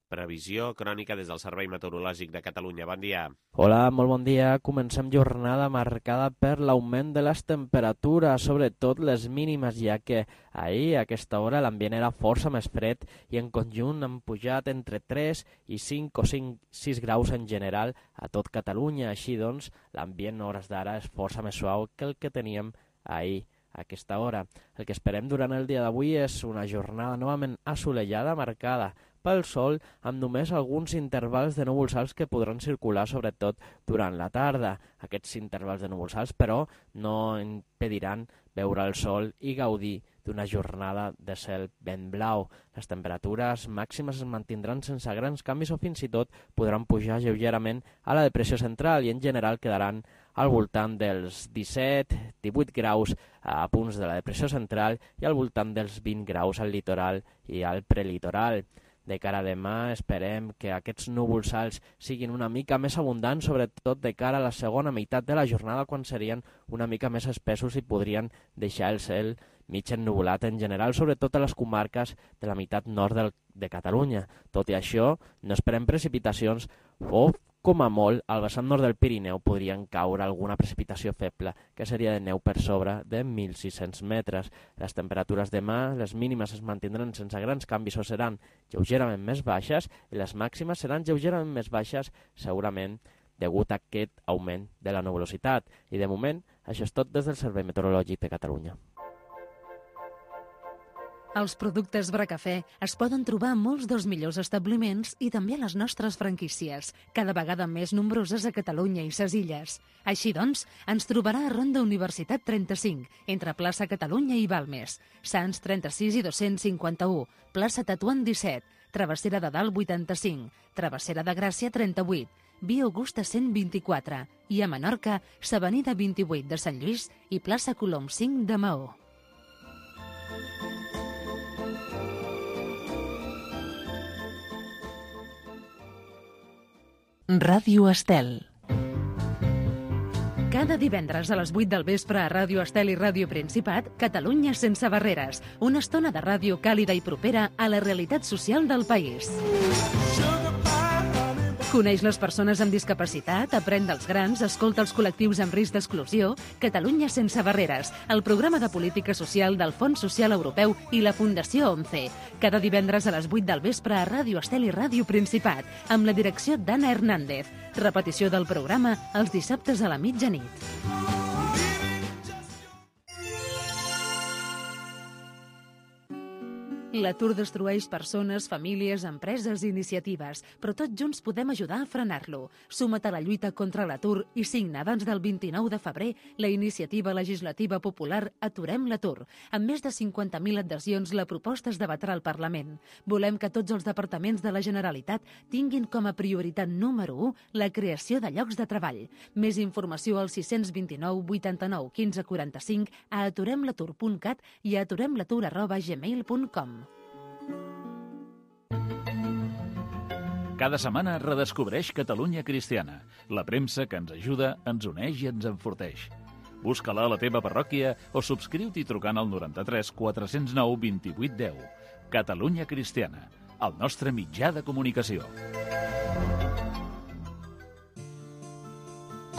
Previsió crònica des del Servei Meteorològic de Catalunya. Bon dia. Hola, molt bon dia. Comencem jornada marcada per l'augment de les temperatures, sobretot les mínimes, ja que ahir a aquesta hora l'ambient era força més fred i en conjunt han pujat entre tres i cinc o cinc, sis graus en general a tot Catalunya. Així doncs, l'ambient a hores d'ara és força més suau que el que teníem ahir a aquesta hora. El que esperem durant el dia d'avui és una jornada novament assolellada, marcada pel sol, amb només alguns intervals de núvols alts que podran circular sobretot durant la tarda. Aquests intervals de núvols alts, però, no impediran veure el sol i gaudir d'una jornada de cel ben blau. Les temperatures màximes es mantindran sense grans canvis o fins i tot podran pujar lleugerament a la depressió central i en general quedaran al voltant dels disset a divuit graus a punts de la depressió central i al voltant dels vint graus al litoral i al prelitoral. De cara a demà esperem que aquests núvols alts siguin una mica més abundants, sobretot de cara a la segona meitat de la jornada, quan serien una mica més espessos i podrien deixar el cel mig ennuvolat en general, sobretot a les comarques de la meitat nord del, de Catalunya. Tot i això, no esperem precipitacions o, com a molt, al vessant nord del Pirineu podrien caure alguna precipitació feble, que seria de neu per sobre de mil sis-cents metres. Les temperatures demà, les mínimes es mantindran sense grans canvis o seran lleugerament més baixes i les màximes seran lleugerament més baixes, segurament degut a aquest augment de la nuvolositat. I de moment, això és tot des del Servei Meteorològic de Catalunya. Els productes Bracafè es poden trobar a molts dels millors establiments i també a les nostres franquícies, cada vegada més nombroses a Catalunya i ses illes. Així doncs, ens trobarà a Ronda Universitat trenta-cinc, entre plaça Catalunya i Balmes, Sants trenta-sis i dos-cents cinquanta-u, plaça Tetuan disset, Travessera de Dalt vuitanta-cinc, Travessera de Gràcia trenta-vuit, Via Augusta cent vint-i-quatre i a Menorca, s'Avenida vint-i-vuit de Sant Lluís i plaça Colom cinc de Maó. Ràdio Estel. Cada divendres a les vuit del vespre a Ràdio Estel i Ràdio Principat, Catalunya sense barreres. Una estona de ràdio càlida i propera a la realitat social del país. Coneix les persones amb discapacitat, aprèn dels grans, escolta els col·lectius amb risc d'exclusió. Catalunya sense barreres, el programa de política social del Fons Social Europeu i la Fundació ONCE. Cada divendres a les vuit del vespre a Ràdio Estel i Ràdio Principat, amb la direcció d'Anna Hernández. Repetició del programa els dissabtes a la mitjanit. L'atur destrueix persones, famílies, empreses i iniciatives, però tots junts podem ajudar a frenar-lo. Suma't a la lluita contra l'atur i signa abans del vint-i-nou de febrer la iniciativa legislativa popular Aturem l'atur. Amb més de cinquanta mil adhesions, la proposta es debatrà al Parlament. Volem que tots els departaments de la Generalitat tinguin com a prioritat número u la creació de llocs de treball. Més informació al sis dos nou, vuitanta-nou, quinze, quaranta-cinc, a aturemlatur punt cat i a aturemlatur arroba gmail punt com. Cada setmana redescobreix Catalunya Cristiana, la premsa que ens ajuda, ens uneix i ens enforteix. Busca-la a la teva parròquia o subscriu-t'hi trucant al noranta-tres quatre-cents nou vint-i-vuit deu. Catalunya Cristiana, el nostre mitjà de comunicació.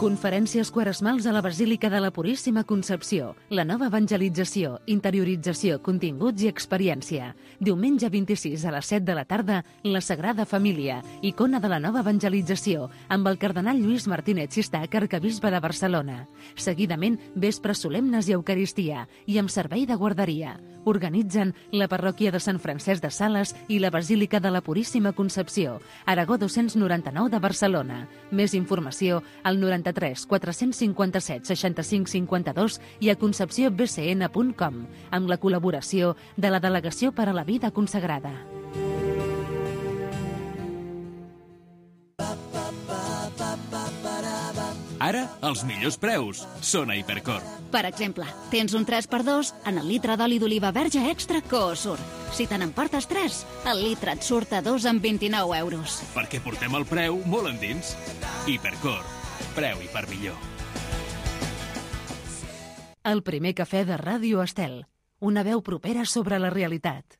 Conferències quaresmals a la Basílica de la Puríssima Concepció. La nova evangelització, interiorització, continguts i experiència. Diumenge vint-i-sis a les set de la tarda, la Sagrada Família, icona de la nova evangelització, amb el cardenal Lluís Martínez Xistac, arquebisbe de Barcelona. Seguidament, vespres solemnes i eucaristia, i amb servei de guarderia. Organitzen la parròquia de Sant Francesc de Sales i la Basílica de la Puríssima Concepció, Aragó dos-cents noranta-nou de Barcelona. Més informació al noranta-tres quatre-cents cinquanta-set seixanta-cinc cinquanta-dos i a concepció b c n punt com, amb la col·laboració de la Delegació per a la Vida Consagrada. Ara, els millors preus són a Hipercor. Per exemple, tens un tres per dos en el litre d'oli d'oliva verge extra Coosur. Si te n'emportes tres, el litre et surt a dos amb vint-i-nou euros. Perquè portem el preu molt endins. Hipercor. Preu i per millor. El primer cafè de Ràdio Estel. Una veu propera sobre la realitat.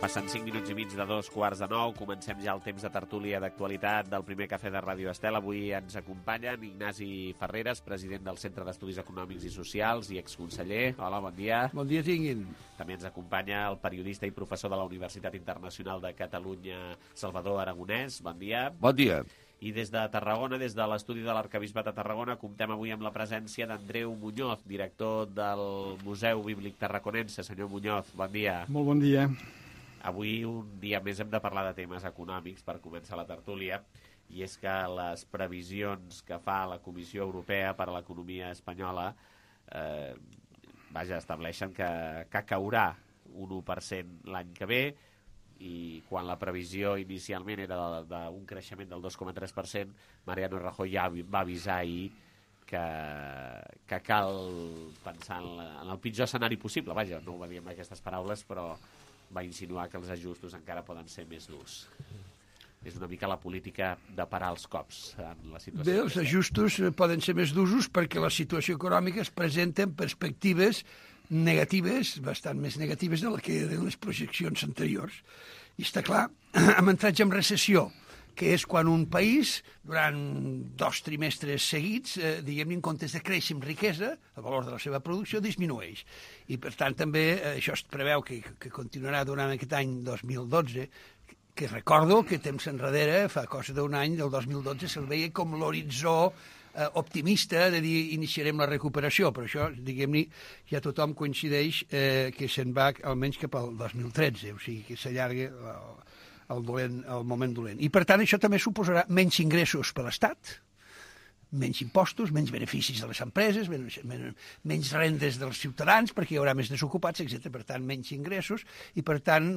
Passen cinc minuts i mig de dos quarts de nou. Comencem ja el temps de tertúlia d'actualitat del primer cafè de Ràdio Estel. Avui ens acompanyen Ignasi Ferreres, president del Centre d'Estudis Econòmics i Socials i exconseller. Hola, bon dia. Bon dia tinguin. També ens acompanya el periodista i professor de la Universitat Internacional de Catalunya, Salvador Aragonès. Bon dia. Bon dia. I des de Tarragona, des de l'estudi de l'Arquebisbat de Tarragona, comptem avui amb la presència d'Andreu Muñoz, director del Museu Bíblic Tarraconense. Senyor Muñoz, bon dia. Molt bon dia. Avui, un dia més, hem de parlar de temes econòmics per començar la tertúlia, i és que les previsions que fa la Comissió Europea per a l'economia espanyola eh, vaja, estableixen que, que caurà un u per cent l'any que ve, i quan la previsió inicialment era d'un creixement del dos coma tres per cent, Mariano Rajoy ja va avisar ahir que, que cal pensar en, la, en el pitjor escenari possible. Vaja, no ho va dir amb aquestes paraules, però va insinuar que els ajustos encara poden ser més durs. És una mica la política de parar els cops en la situació. Bé, els ajustos poden ser més durs perquè la situació econòmica es presenta en perspectives negatives, bastant més negatives de la que eren les projeccions anteriors. I està clar, hem entrat ja en recessió, que és quan un país, durant dos trimestres seguits, eh, diguem-ne, en comptes de créixer amb riquesa, el valor de la seva producció disminueix. I, per tant, també eh, això es preveu que, que continuarà durant aquest any dos mil dotze, que recordo que temps enrere, fa cosa d'un any, del dos mil dotze, se'l veia com l'horitzó eh, optimista de dir iniciarem la recuperació, però això, diguem-ne, ja tothom coincideix eh, que se'n va almenys cap al dos mil tretze, o sigui, que s'allarga el, el, dolent, el moment dolent. I, per tant, això també suposarà menys ingressos per l'Estat, menys impostos, menys beneficis de les empreses, menys, menys rendes dels ciutadans, perquè hi haurà més desocupats, etcètera. Per tant, menys ingressos i, per tant,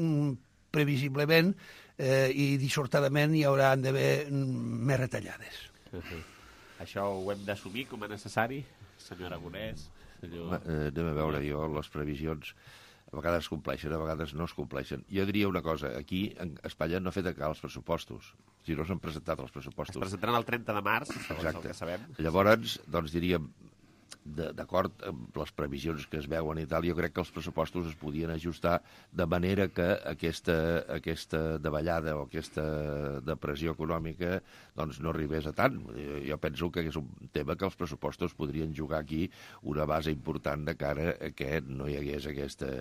previsiblement eh, i dissortadament hi haurà d'haver més retallades. Uh-huh. Això ho hem d'assumir com a necessari, senyor Aragonès? Senyor... Eh, anem a veure, jo, les previsions a vegades es compleixen, a vegades no es compleixen. Jo diria una cosa, aquí a Espanya no ha fet encara els pressupostos, si no s'han presentat els pressupostos. Es presentaran el trenta de març, segons Exacte. El que sabem. Llavors, doncs diríem, d'acord amb les previsions que es veuen i tal, jo crec que els pressupostos es podien ajustar de manera que aquesta, aquesta davallada o aquesta depressió econòmica doncs no arribés a tant. Jo penso que és un tema que els pressupostos podrien jugar aquí una base important de cara a que no hi hagués aquesta...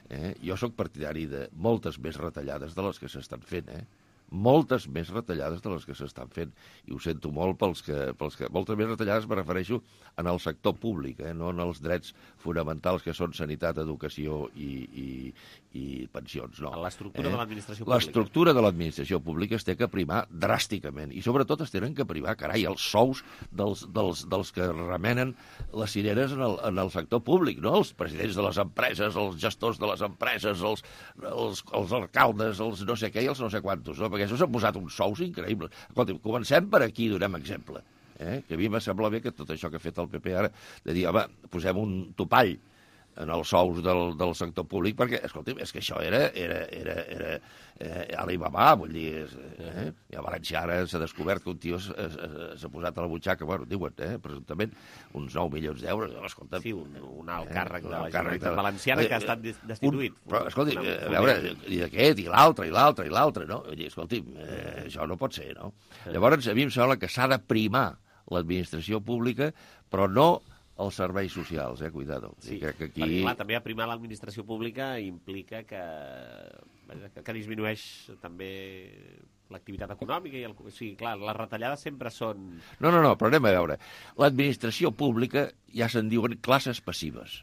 Eh? Jo sóc partidari de moltes més retallades de les que s'estan fent, eh? moltes més retallades de les que s'estan fent. I ho sento molt pels que... Pels que moltes més retallades me refereixo en el sector públic, eh? No en els drets fonamentals que són sanitat, educació i, i, i pensions. No. L'estructura eh? de l'administració pública. L'estructura de l'administració pública es té que primar dràsticament. I sobretot es tenen que primar, carai, els sous dels, dels, dels que remenen les cireres en el, en el sector públic, no? Els presidents de les empreses, els gestors de les empreses, els, els, els alcaldes, els no sé què i els no sé quantos, no? Perquè això s'ha posat uns sous increïbles. Escolta, comencem per aquí i donem exemple. Eh? Que a mi me sembla bé que tot això que ha fet el P P ara, de dir, home, posem un topall en els sous del, del sector públic, perquè, escolta'm, és que això era, era, era, era eh, Alibaba, vull dir, eh? I a València ara s'ha descobert que un tio s'ha posat a la butxaca, bueno, diuen, eh, presumptament, uns nou milions d'euros, escolta'm. Sí, un, un alt càrrec eh, de la Generalitat Valenciana que ha estat destituït. Un, però, escolti, a veure, i aquest, i l'altre, i l'altre, i l'altre, no? Vull dir, escolti'm, eh, això no pot ser, no? Llavors, a mi em sembla que s'ha de primar l'administració pública, però no els serveis socials, eh? Cuidado. Sí, crec que aquí... perquè clar, també aprimar l'administració pública implica que, que, que disminueix també l'activitat econòmica. I el, o sigui, clar, les retallades sempre són... No, no, no, però anem a veure. L'administració pública ja se'n diuen classes passives.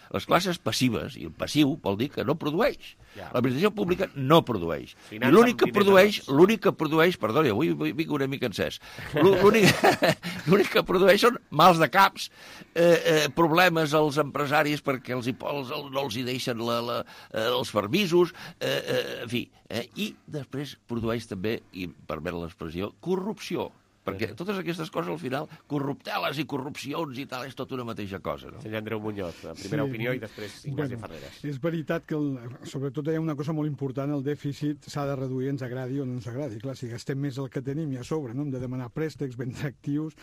Les classes passives, i el passiu vol dir que no produeix. Ja. L'administració pública no produeix. I l'únic que produeix, l'únic que produeix, perdoni, avui vinc una mica encès, l'únic que produeix són mals de caps, eh, eh, problemes als empresaris perquè els, els, no els hi deixen la, la, eh, els permisos, eh, eh, en fi, eh, i després produeix també, i permet l'expressió, corrupció. Perquè totes aquestes coses, al final, corrupteles i corrupcions i tal, és tot una mateixa cosa, no? Senyor Andreu Muñoz, primera sí. opinió i després Ignasi bueno, Ferreras. És veritat que, el, sobretot, hi ha una cosa molt important, el dèficit s'ha de reduir, ens agradi o no ens agradi. Clar, si gastem més el que tenim i a sobre, no? Hem de demanar préstecs ben actius,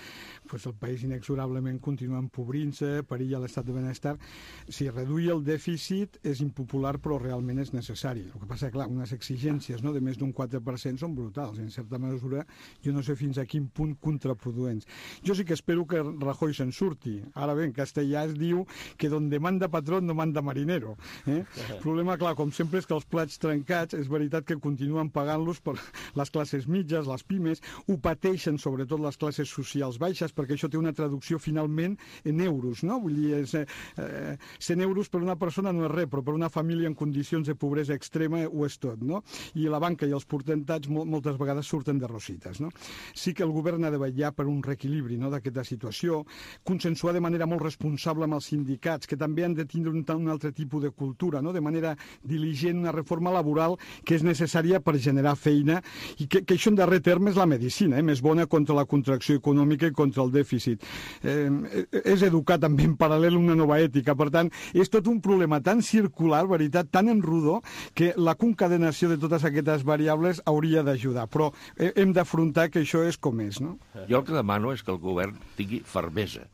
doncs el país inexorablement continua empobrint-se, perilla l'estat de benestar. Si reduir el dèficit és impopular, però realment és necessari. El que passa, clar, unes exigències, no?, de més d'un quatre per cent són brutals. En certa mesura, jo no sé fins a quin punt contraproduents. Jo sí que espero que Rajoy se'n surti. Ara bé, en castellà es diu que donde manda patrón no manda marinero. Eh? El problema, clar, com sempre, és que els plats trencats, és veritat que continuen pagant-los per les classes mitges, les pimes, ho pateixen sobretot les classes socials baixes, perquè això té una traducció finalment en euros, no? Vull dir, és, eh, cent euros per una persona no és res, però per una família en condicions de pobresa extrema ho és tot, no? I la banca i els potentats moltes vegades surten de rosites, no? Sí que el govern ha de vetllar per un reequilibri, no?, d'aquesta situació, consensuar de manera molt responsable amb els sindicats, que també han de tindre un, un altre tipus de cultura, no?, de manera diligent, una reforma laboral que és necessària per generar feina i que, que això en darrer terme és la medicina, eh?, més bona contra la contracció econòmica i contra el dèficit. Eh, és educar també en paral·lel una nova ètica, per tant, és tot un problema tan circular, veritat, tan en rodó, que la concadenació de totes aquestes variables hauria d'ajudar, però hem d'afrontar que això és com és. No? Jo el que demano és que el govern tingui fermesa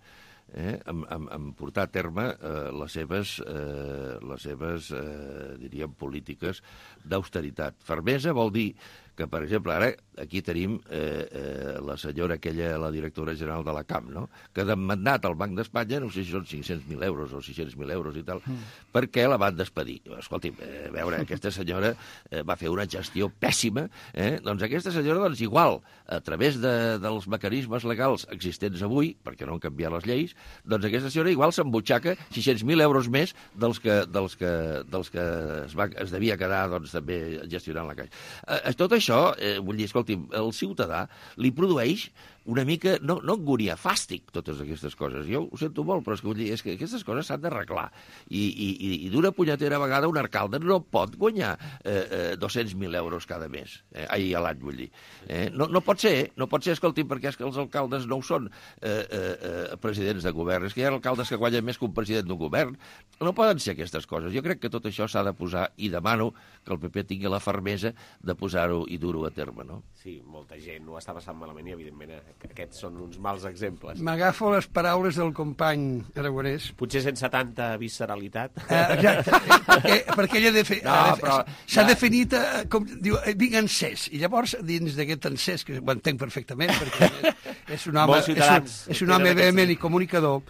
eh, en, en, en portar a terme eh, les seves, eh, les seves eh, diríem, polítiques d'austeritat. Fermesa vol dir que, per exemple, ara aquí tenim eh, eh, la senyora aquella, la directora general de la C A M, no?, que ha demandat al Banc d'Espanya, no sé si són cinc-cents mil euros o sis-cents mil euros i tal, mm. perquè la van despedir. Escolti'm, eh, a veure, aquesta senyora eh, va fer una gestió pèssima, eh? Doncs aquesta senyora, doncs igual, a través de, dels mecanismes legals existents avui, perquè no han canviat les lleis, doncs aquesta senyora igual s'embutxaca sis-cents mil euros més dels que, dels que, dels que es, va, es devia quedar, doncs, també gestionant la caixa. Eh, tot això Això, eh, vull dir, escolti, el ciutadà li produeix una mica, no, no angúnia, fàstic, totes aquestes coses. Jo ho sento molt, però és que, vull dir, és que aquestes coses s'han d'arreglar. I, i, i d'una punyetera vegada un alcalde no pot guanyar eh, eh, dos-cents mil euros cada mes. Eh, ai, a l'any, vull dir. Eh, no, no pot ser, no pot ser, escolti, perquè és que els alcaldes no ho són eh, eh, presidents de govern. És que hi ha alcaldes que guanyen més que un president d'un govern. No poden ser aquestes coses. Jo crec que tot això s'ha de posar, i demano que el P P tingui la fermesa de posar-ho i dur-ho a terme, no? Sí, molta gent ho està passant malament i, evidentment, aquests són uns mals exemples. M'agafo les paraules del company Aragonès. Potser sense tanta visceralitat. Uh, exacte, perquè, perquè ella de fe... no, però, s'ha ja... definit, uh, com diu, vinc encès. I llavors, dins d'aquest encès, que ho entenc perfectament, perquè és un home, és un, és un home vehement i comunicador,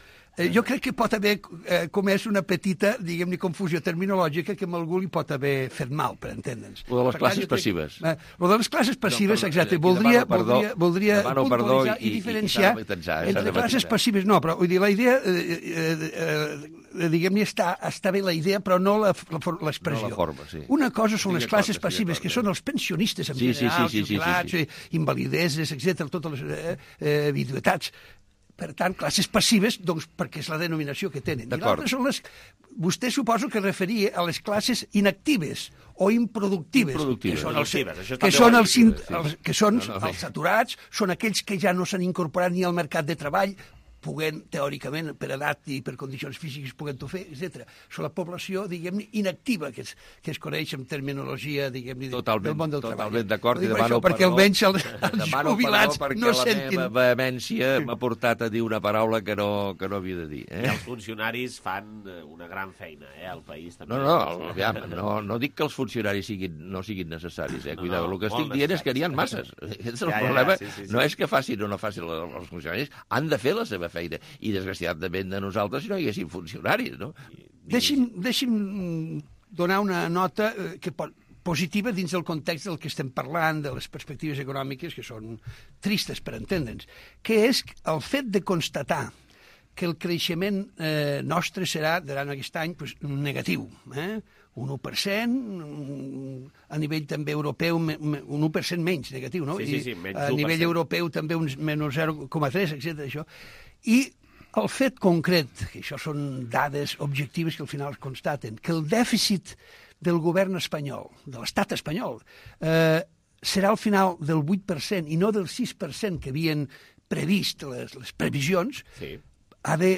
jo crec que pot haver eh, comès una petita, diguem-ne, confusió terminològica que amb algú li pot haver fet mal, per entendre'ns. Lo de les Per classes crec, passives. Eh, lo de les classes passives, No, perdó, exacte, aquí voldria, demano perdó, voldria, voldria demano perdó puntualitzar i- i, i- i diferenciar s'ha de matisar, s'ha entre de classes matisar. passives. No, però vull dir, la idea, eh, eh, eh, diguem-ne, està, està bé la idea, però no la- la for- l'expressió. No la forma, sí. Una cosa són Estic les classes d'acord, estic passives, d'acord, que són els pensionistes en Sí, sí, general, sí, sí, sí, jubilats, sí, sí. eh, invalideses, etcètera, totes les eh, eh, viduetats. Per tant, classes passives, doncs, perquè és la denominació que tenen. I D'acord. l'altre són les... Vostè suposo que referia a les classes inactives o improductives. Improductives. Que són els, Productives, això que també són ho ha els, dit, in- sí. els, que són No, no, els sí. saturats, són aquells que ja no s'han incorporat ni al mercat de treball, puguen, teòricament, per edat i per condicions físiques, puguen-ho fer, etcètera. Són la població, diguem-ne, inactiva, que es, que es coneix en terminologia, diguem-ne, del món del treball. Totalment d'acord, Ho i dic demano això perquè perdó. almenys els, els Demano jubilats perdó perquè no la sentin... meva vehemència m'ha portat a dir una paraula que no, que no havia de dir. I Eh? els funcionaris fan eh, una gran feina, eh, al país. També. No, no, aviam, no, no dic que els funcionaris siguin, no siguin necessaris, eh? No, Cuidado, no, el que molt estic dient és que n'hi ha necessaris. masses. Aquest és Ja, el ja, ja, problema. sí, sí, sí. No és que facin o no facin els funcionaris, han de fer la seva feina. I desgraciadament de nosaltres si no hi haguessin funcionaris, no? Deixi'm, deixi'm donar una nota eh, que pot, positiva dins del context del que estem parlant, de les perspectives econòmiques, que són tristes, per entendre'ns, que és el fet de constatar que el creixement eh, nostre serà, durant aquest any, pues, negatiu. Eh? Un u per cent, a nivell també europeu, un u per cent menys negatiu, no? Sí, sí, sí, menys I a u per cent. nivell europeu també un menys zero coma tres, etcètera. Això. I el fet concret, que això són dades objectives que al final es constaten, que el dèficit del govern espanyol, de l'estat espanyol, eh, serà al final del vuit per cent i no del sis per cent que havien previst les, les previsions, Sí. ha de,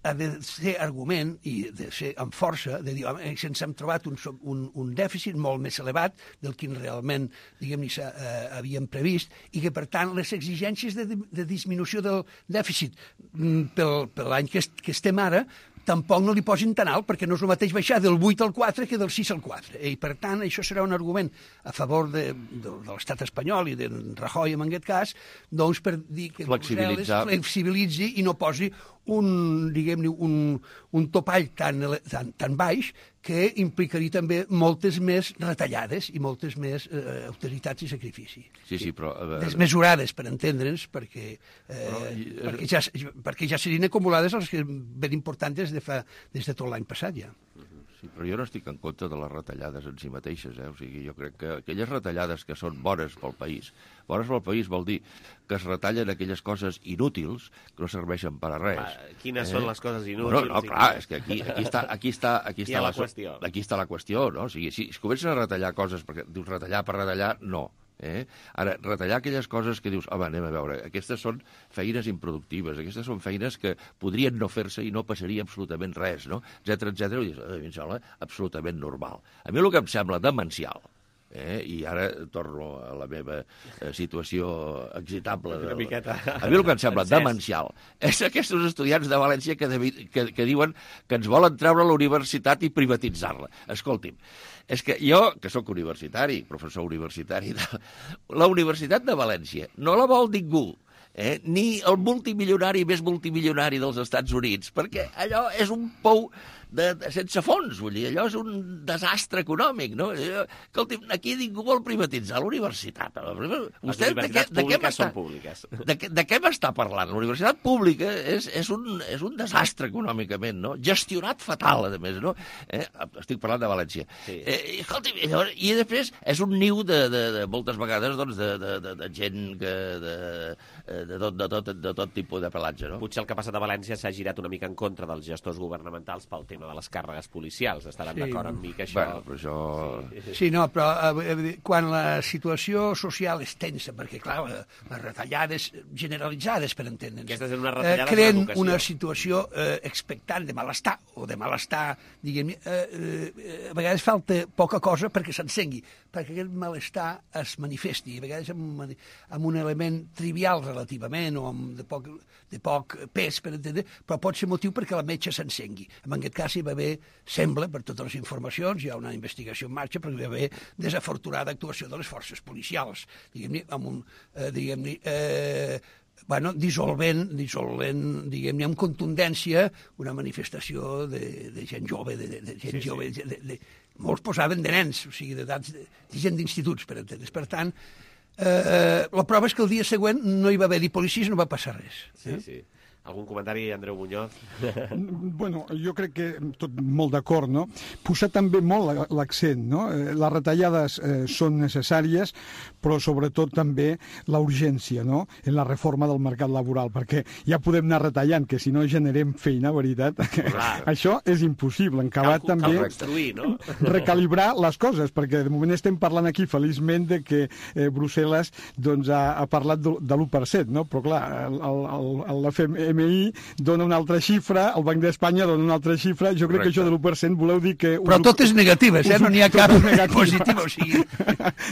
ha de ser argument i de ser amb força de dir, home, ens hem trobat un, so- un, un dèficit molt més elevat del que realment, diguem-ne, s'ha- eh, havíem previst i que, per tant, les exigències de, de disminució del dèficit mm, pel, per l'any que, est, que estem ara tampoc no li posin tan alt, perquè no és el mateix baixar del vuit al quatre que del sis al quatre. I, per tant, això serà un argument a favor de, de, de l'estat espanyol i de Rajoy, en aquest cas, doncs per dir que Brussel·les flexibilitzi i no posi un, diguem-ne, un, un topall tan, ele- tan, tan baix que implicaria també moltes més retallades i moltes més eh, austeritats i sacrifici. Sí, sí, però... A veure, Desmesurades, per entendre'ns, perquè, eh, Però, i- perquè, ja, perquè ja serien acumulades les que ben importants des de, fa, des de tot l'any passat ja. Sí, però jo no estic en contra de les retallades en si mateixes, eh? O sigui, jo crec que aquelles retallades que són bones pel país, bones pel país vol dir que es retallen aquelles coses inútils que no serveixen per a res. Va, quines són les coses inútils? No, no, clar, és que aquí, aquí està, aquí està, aquí Aquí hi està ha la so- qüestió. Aquí està la qüestió, no? O sigui, si es comencen a retallar coses, perquè dius retallar per retallar, no. Eh? Ara, retallar aquelles coses que dius, home, anem a veure, aquestes són feines improductives, aquestes són feines que podrien no fer-se i no passaria absolutament res, no? Etcètera, etcètera, i dius, a mi em sembla absolutament normal. A mi el que em sembla demencial, eh? I ara torno a la meva eh, situació excitable. Una De... miqueta A mi el que em sembla encès. demencial és aquests estudiants de València que, devi... que, que diuen que ens volen treure la universitat i privatitzar-la. Escolti'm, és que jo, que sóc universitari, professor universitari, de... la Universitat de València no la vol ningú, eh? Ni el multimilionari més multimilionari dels Estats Units, perquè allò és un pou de, de, sense fons, vull dir, allò és un desastre econòmic, no? Allò, escolti, aquí ningú vol privatitzar la universitat. Vostè, Les de què, universitats de què públiques m'està són públiques. de, què- de què m'està parlant? La universitat pública és, és, un, és un desastre econòmicament, no? Gestionat fatal, a més, no? Eh? Estic parlant de València. Sí. Eh, i, escolti, i, llavors- i després és un niu de, de, de moltes vegades doncs, de, de, de, de gent que, de, de, tot, de, tot, de tot tipus de pelatge, no? Potser el que ha passat a València s'ha girat una mica en contra dels gestors governamentals pel tema de les càrregues policials. Estaran Sí. d'acord amb mi que això... Bueno, però això... Sí. Sí, no, però eh, eh, quan la situació social és tensa, perquè, clar, eh, les retallades generalitzades, per entendre'ns, Aquestes eren unes eh, retallades creen en educació. una situació eh, expectant de malestar, o de malestar, diguem, eh, eh, a vegades falta poca cosa perquè s'encengui, perquè aquest malestar es manifesti, a vegades amb, amb un element trivial relativament, o amb de poc, de poc pes, per entendre, però pot ser motiu perquè la metge s'encengui. En aquest cas hi va haver, sembla, per totes les informacions, hi ha una investigació en marxa, perquè hi va haver desafortunada actuació de les forces policials, diguem-ne, amb un, eh, diguem-ne, eh, bueno, dissolvent, dissolvent, diguem-ne, amb contundència, una manifestació de, de gent jove, de, de, de gent sí, jove, sí. De, de, molts posaven de nens, o sigui, d'edats, de, de gent d'instituts, per entendre's. Per tant, eh, la prova és que el dia següent no hi va haver-hi policies, no va passar res. Sí, eh? sí. Algun comentari, Andreu Muñoz? Bueno, jo crec que tot molt d'acord, no? Posar també molt l'accent, no? Les retallades eh, són necessàries, però sobretot també la urgència, no? En la reforma del mercat laboral, perquè ja podem anar retallant, que si no generem feina, veritat, això és impossible. En acabat també no? recalibrar les coses, perquè de moment estem parlant aquí feliçment de que eh, Brussel·les doncs, ha, ha parlat de, de l'u per cent, no? Però clar, el, el, el, el F M I dona una altra xifra, el Banc d'Espanya dona una altra xifra, jo crec Correcte. Que això de l'u per cent voleu dir que... Però tot és negatives, eh? No n'hi ha cap positiva, o sigui...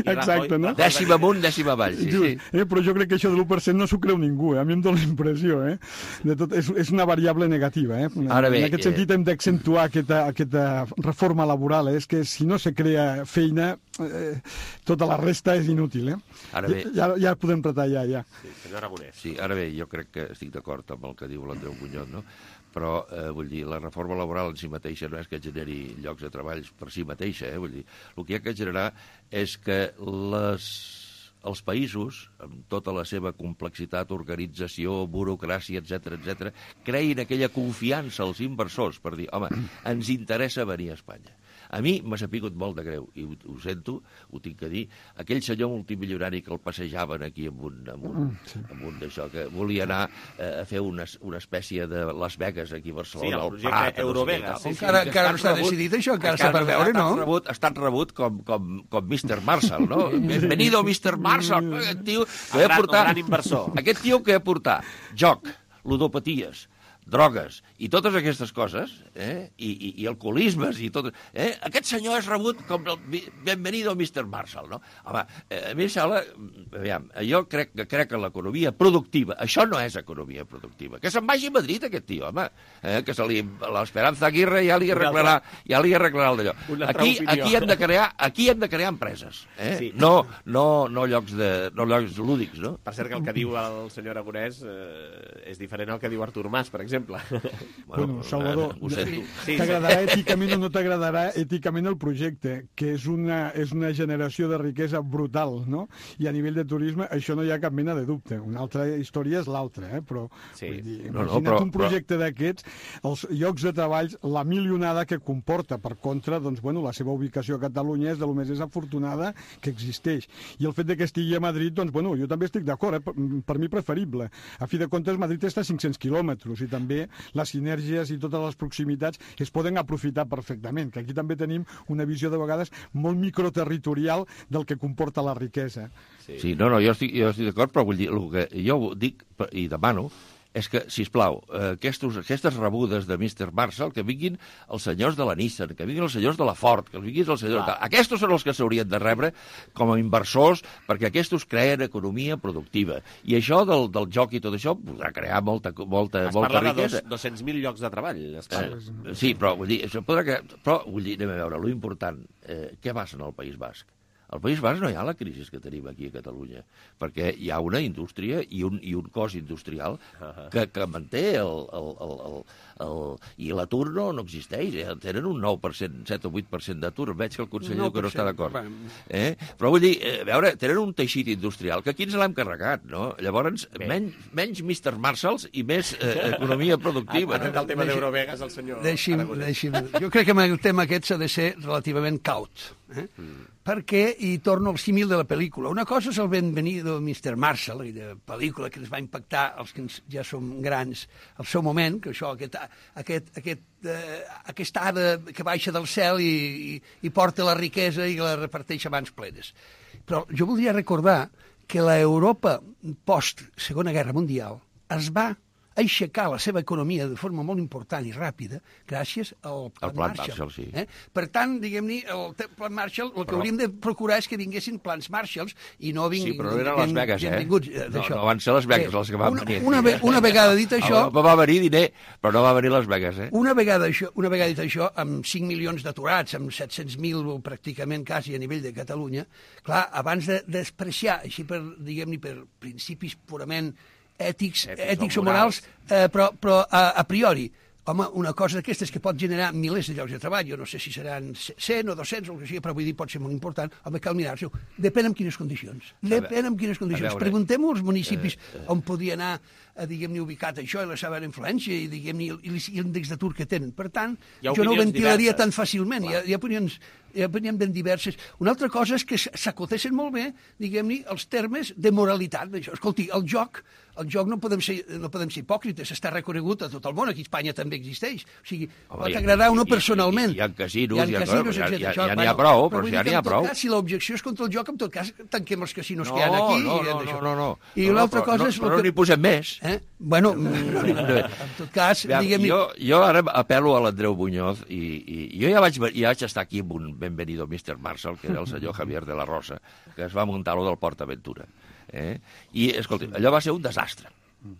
Exacte, no? Dècim amunt, dècim avall, sí, sí. Eh, però jo crec que això de l'u per cent no s'ho creu ningú, eh? A mi em dóna la impressió, eh? De tot, és, és una variable negativa, eh? Ara bé, en aquest sentit hem d'accentuar aquesta, aquesta reforma laboral, eh? És que si no se crea feina, eh, tota la resta és inútil, eh? Ara bé... Ja, ja podem retallar, ja. Sí, senyor Aragonès. Sí, ara bé, jo crec que estic d'acord amb el que diu l'Andreu Muñoz, no? Però, eh, vull dir, la reforma laboral en si mateixa no és que generi llocs de treball per si mateixa, eh? Vull dir, el que hi ha que generar és que les, els països, amb tota la seva complexitat, organització, burocràcia, etcètera, etcètera, creïn aquella confiança als inversors per dir, home, ens interessa venir a Espanya. A mi m'ha sapigut molt de greu, i ho, ho sento, ho tinc que dir, aquell senyor multimilionari que el passejaven aquí amb un, amb un, sí. amb un d'això, que volia anar eh, a fer una, una espècie de Las Vegas aquí a Barcelona, sí, el projecte Prat, Eurovegas. No sé sí, sí, encara encara no està decidit això, encara està per veure, no? Ha rebut, ha estat rebut com, com, com mister Marshall, no? Bienvenido, mister Marshall. Aquest tio que ha portat... gran inversor. Aquest tio que ha portat joc, ludopaties, drogues i totes aquestes coses, eh? I, i, i alcoholismes i tot... Eh? Aquest senyor és rebut com el bienvenido mister Marshall, no? Home, eh, a mi em sembla... Aviam, jo crec, crec que l'economia productiva... Això no és economia productiva. Que se'n vagi a Madrid, aquest tio, home. Eh? Que se li... L'Esperanza Aguirre ja li arreglarà, ja li arreglarà el d'allò. Aquí, aquí, hem de crear, aquí hem de crear empreses. Eh? Sí. No, no, no, llocs de, no llocs lúdics, no? Per cert, que el que diu el senyor Aragonès eh, és diferent al que diu Artur Mas, per exemple. Bueno, Salvador, sí, sí, t'agradarà èticament o no t'agradarà èticament el projecte, que és una, és una generació de riquesa brutal, no? I a nivell de turisme això no hi ha cap mena de dubte. Una altra història és l'altra, eh? Però, sí. vull dir, no, no, imagina't però, un projecte però... d'aquests, els llocs de treball, la milionada que comporta. Per contra, doncs, bueno, la seva ubicació a Catalunya és de lo més desafortunada que existeix. I el fet de que estigui a Madrid, doncs, bueno, jo també estic d'acord, eh? Per, per mi preferible. A fi de comptes, Madrid està a cinc-cents quilòmetres i també també les sinergies i totes les proximitats es poden aprofitar perfectament, que aquí també tenim una visió de vegades molt microterritorial del que comporta la riquesa. Sí, sí no, no, jo estic, jo estic d'acord, però vull dir, el que jo dic i demano és que, sisplau, aquestos, aquestes rebudes de mister Marshall, que vinguin els senyors de la Nissan, que vinguin els senyors de la Ford, que vinguin els senyors... Ah. Aquestos són els que s'haurien de rebre com a inversors, perquè aquestos creen economia productiva. I això del, del joc i tot això podrà crear molta, molta, es molta riquesa. Es parla de dos-cents mil llocs de treball. Eh, sí, però vull dir, això podrà crear... Però, vull dir, anem a veure, lo important, eh, què passa en el País Basc? Al País Basc no hi ha la crisi que tenim aquí a Catalunya, perquè hi ha una indústria i un, i un cos industrial que, que manté el... el, el, el, el i l'atur no, no existeix, eh? Tenen un nou per cent, set o vuit per cent d'atur, veig que el conseller que no està d'acord. Eh? Però vull dir, eh, a veure, tenen un teixit industrial que aquí ens l'hem carregat, no? Llavors, menys, menys mister Marshalls i més eh, economia productiva. Ha no? El tema d'Eurovegas, el senyor deixi'm, deixi'm. Jo crec que amb el tema aquest s'ha de ser relativament caut. Eh? Mm. Perquè, i torno al símil de la pel·lícula, una cosa és el Benvenido mister Marshall, de pel·lícula que ens va impactar els que ja som grans al seu moment, que això, aquest, aquest, aquest, eh, aquesta hada que baixa del cel i, i, i porta la riquesa i la reparteix a mans plenes. Però jo voldria recordar que l'Europa post-Segona Guerra Mundial es va aixecar la seva economia de forma molt important i ràpida gràcies al Plan, el plan Marshall. Marshall sí. eh? Per tant, diguem-ne, el Plan Marshall, el que però... hauríem de procurar és que vinguessin plans Marshalls i no vinguin... Sí, però no eren les Vegas, eh? No, no van ser les Vegas eh, les que van una, venir. Una, una vegada dit això... Europa va venir diner, però no va venir les Vegas, eh? Una vegada, això, una vegada dit això, amb cinc milions d'aturats, amb set-cents mil pràcticament quasi a nivell de Catalunya, clar, abans de despreciar, així per, diguem-ne, per principis purament ètics, ètics o morals, eh, però, però a, a priori. Home, una cosa d'aquestes que pot generar milers de llocs de treball, jo no sé si seran cent o dos-cents o el que sigui, però vull dir, pot ser molt important, home, cal mirar-s'ho. Depèn en quines condicions. Depèn en quines condicions. Preguntem-ho als municipis on podia anar, diguem-ne, ubicat això i la seva influència i, diguem-ne, l'índex d'atur que tenen. Per tant, jo no ho ventilaria tan fàcilment. Hi ha, hi ha opinions hi ha opinions ben diverses. Una altra cosa és que s'acotessin molt bé, diguem-ne, els termes de moralitat. Escolti, el joc, el joc no podem ser, no podem ser hipòcrites, està reconegut a tot el món, aquí a Espanya també existeix. O sigui, pot agradar a uno personalment. Hi ha casinos, hi ha casinos, ja n'hi ha prou, però ja n'hi ha prou. Si l'objecció és contra el joc, en tot cas, tanquem els casinos que hi ha aquí. No, no, no, no. I l'altra cosa és... Però no n'hi posem més. Bueno, en tot cas, diguem-ne... Jo ara apel·lo a l'Andreu Muñoz i jo ja vaig estar aquí amb un benvenido mister Marshall, que era el senyor Javier de la Rosa, que es va muntar lo del PortAventura. Eh? I, escolta, allò va ser un desastre.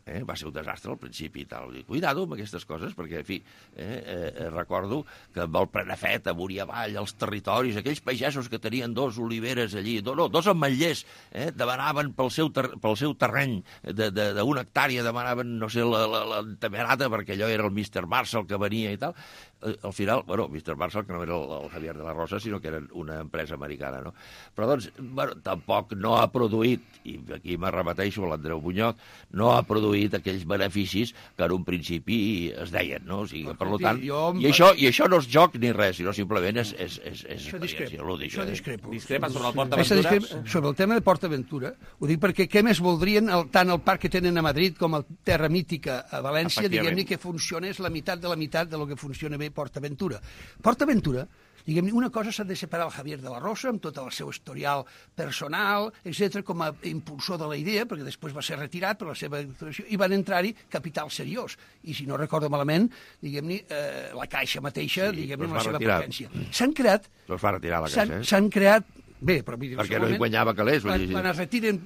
Eh? Va ser un desastre al principi i tal. I cuidado amb aquestes coses, perquè, en fi, eh, eh, recordo que amb el Prenafet, amunt i avall, els territoris, aquells pagesos que tenien dos oliveres allí, no, no, dos ametllers, eh, demanaven pel seu, ter pel seu terreny d'una hectàrea, demanaven, no sé, la, la, la temerata, perquè allò era el mister Marshall que venia i tal. Al final, bueno, mister Marshall, que no era el, el Javier de la Rosa, sinó que era una empresa americana, no? Però, doncs, bueno, tampoc no ha produït, i aquí me repeteixo a l'Andreu Muñoz, no ha produït aquells beneficis que en un principi es deien, no? O sigui, per tant, i això, i això no és joc ni res, sinó simplement és, és, és, és experiència lúdica. Això discrepo. Discrepa sobre el PortAventura? Sobre el tema de PortAventura, ho dic perquè què més voldrien el, tant el parc que tenen a Madrid com el Terra Mítica a València, diguem-ne que funciona, és la meitat de la meitat de lo que funciona bé PortAventura. PortAventura, diguem-ne, una cosa s'ha de separar el Javier de la Rosa amb tot el seu historial personal, etcètera, com a impulsor de la idea, perquè després va ser retirat per la seva actuació, i van entrar-hi capital seriós. I si no recordo malament, diguem-ne, eh, la Caixa mateixa, sí, diguem-ne, amb la seva potència. S'han creat... No es va retirar la Caixa, eh? S'han creat... Bé, però... Perquè no hi guanyava calés. Quan, quan es retiren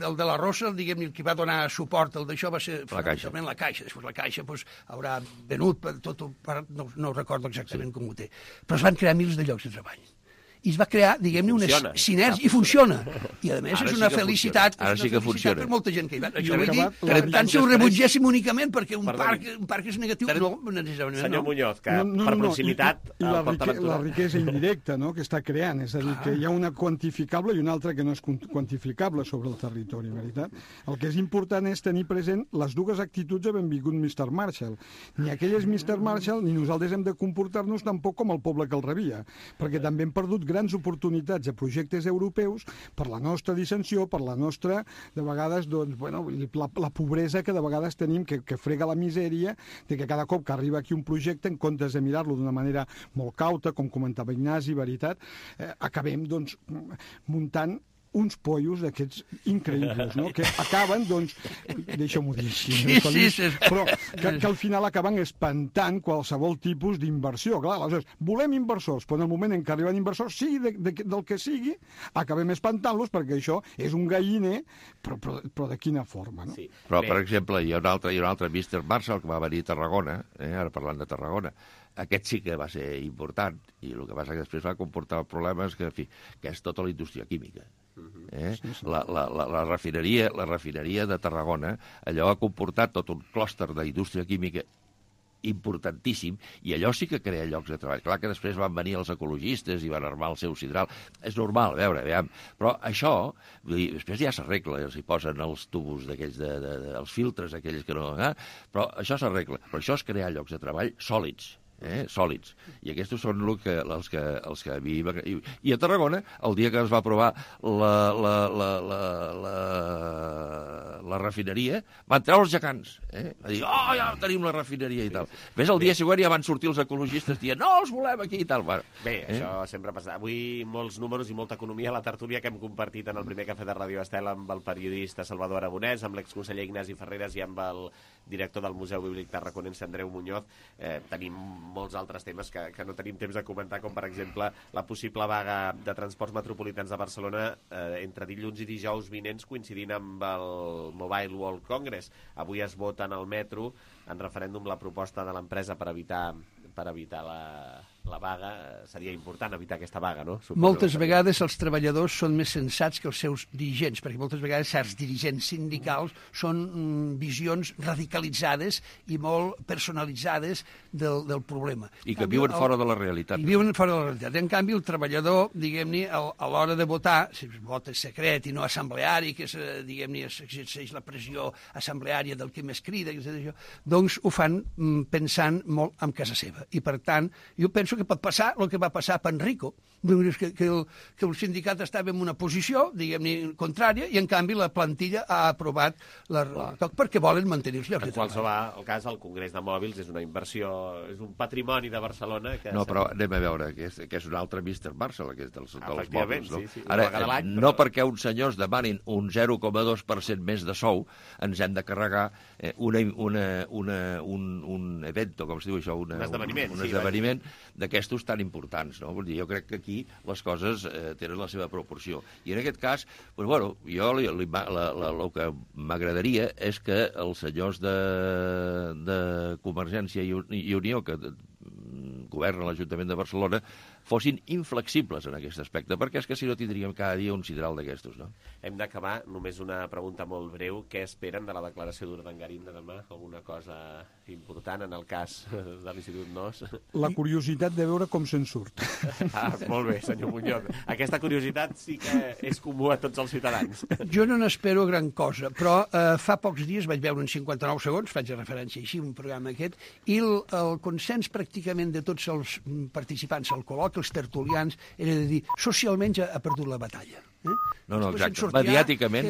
el de la Rosa, diguem-ne, el que va donar suport al d'això va ser la Caixa. la Caixa. Després la Caixa pues, haurà venut per tot, per, no, no recordo exactament sí. com ho té. Però es van crear mils de llocs de treball. I es va crear, diguem-ne, una sinergia, i funciona. I, a més, ara és una sí felicitat, Ara és sí una que funciona. per molta gent que hi va. Això vull dir, per tant, si ho rebutgéssim únicament perquè un parc, un parc és negatiu, no, necessàriament. Senyor Muñoz, que no, no, per no, proximitat... I, i la, rique, la riquesa indirecta, no?, que està creant. És a dir, que hi ha una quantificable i una altra que no és quantificable sobre el territori, veritat? El que és important és tenir present les dues actituds de benvingut mister Marshall. Ni aquelles mister Marshall, ni nosaltres hem de comportar-nos tampoc com el poble que el rebia, perquè també hem perdut grans oportunitats a projectes europeus per la nostra dissensió, per la nostra, de vegades, doncs, bueno, la, la pobresa que de vegades tenim, que, que frega la misèria, de que cada cop que arriba aquí un projecte, en comptes de mirar-lo d'una manera molt cauta, com comentava Ignasi, veritat, eh, acabem, doncs, muntant uns pollos d'aquests increïbles, no?, que acaben, doncs, deixa-m'ho dir així, sí, sí, sí. però que, que al final acaben espantant qualsevol tipus d'inversió. Clar, aleshores, volem inversors, però en el moment en què arriben inversors, sigui de, de, del que sigui, acabem espantant-los perquè això és un galliner, però, però, però de quina forma, no? Sí. Però, per exemple, hi ha un altre, hi ha un altre mister Marshall que va venir a Tarragona, eh, ara parlant de Tarragona. Aquest sí que va ser important, i el que passa que després va comportar problemes que, en fi, que és tota la indústria química. Eh? La, la, la, la, refineria, la refineria de Tarragona, allò ha comportat tot un clúster d'indústria química importantíssim, i allò sí que crea llocs de treball. Clar que després van venir els ecologistes i van armar el seu sidral. És normal, a veure, veiem. Però això, vull dir, després ja s'arregla, s'hi posen els tubos d'aquells, de, de, de, els filtres aquells que no... Eh? Però això s'arregla. Però això és crear llocs de treball sòlids. Eh, sòlids. I aquests són el que, els, que, els que a mi... I, I a Tarragona, el dia que es va aprovar la, la, la, la, la, la refineria, van treure els gegants. Eh? Va dir, oh, ja tenim la refineria i tal. Ves, el dia següent ja van sortir els ecologistes dient, no, els volem aquí i tal. Bueno, bé, eh? Això sempre passa. Avui molts números i molta economia a la tertúlia que hem compartit en el primer cafè de Ràdio Estel amb el periodista Salvador Aragonès, amb l'exconseller Ignasi Ferreres i amb el director del Museu Bíblic Tarraconense, Andreu Muñoz. Eh, tenim molts altres temes que, que no tenim temps de comentar, com per exemple la possible vaga de transports metropolitans de Barcelona eh, entre dilluns i dijous vinents, coincidint amb el Mobile World Congress. Avui es vota en el metro en referèndum la proposta de l'empresa per evitar per evitar la, la vaga seria important evitar aquesta vaga, no? Suposo moltes que... vegades els treballadors són més sensats que els seus dirigents, perquè moltes vegades certs dirigents sindicals són mm, visions radicalitzades i molt personalitzades del, del problema. I que viuen el, fora de la realitat. I viuen fora de la realitat. En canvi, el treballador, diguem-ne, a l'hora de votar, si es vota secret i no assembleari, que és, diguem-ne, exerceix la pressió assembleària del que més crida, etcètera, doncs ho fan mm, pensant molt en casa seva. I, per tant, jo penso que pot passar el que va passar a Panrico, que, que, el, que el sindicat estava en una posició, diguem-ne, contrària, i en canvi la plantilla ha aprovat la toc perquè volen mantenir els llocs de treball. En qualsevol cas, el Congrés de Mòbils és una inversió, és un patrimoni de Barcelona que... No, però anem a veure, que és, que és un altre míster Barça, que és dels, dels mòbils, no? Sí, sí, ara, però... no perquè uns senyors demanin un zero coma dos per cent més de sou, ens hem de carregar eh, una, una, una, un, un evento, com es diu això? Una, un esdeveniment. Un, un esdeveniment d'aquestos tan importants, no? Vull dir, jo crec que aquí les coses eh, tenen la seva proporció. I en aquest cas, doncs, bueno, jo li, li, la, la, el que m'agradaria és que els senyors de, de Convergència i, i Unió, que governen l'Ajuntament de Barcelona, fossin inflexibles en aquest aspecte, perquè és que si no tindríem cada dia un sideral d'aquestos, no? Hem d'acabar, només una pregunta molt breu. Què esperen de la declaració d'Urdangarín de demà? Alguna cosa important en el cas de l'Institut Nos? La curiositat de veure com se'n surt. Ah, molt bé, senyor Muñoz. Aquesta curiositat sí que és comú a tots els ciutadans. Jo no n'espero gran cosa, però eh, fa pocs dies vaig veure en cinquanta-nou segons, faig referència així, un programa aquest, i el, el consens pràcticament de tots els participants al col·loqui, els tertulians, era de dir, socialment ja ha perdut la batalla. Eh? No, no, exacte. Mediàticament...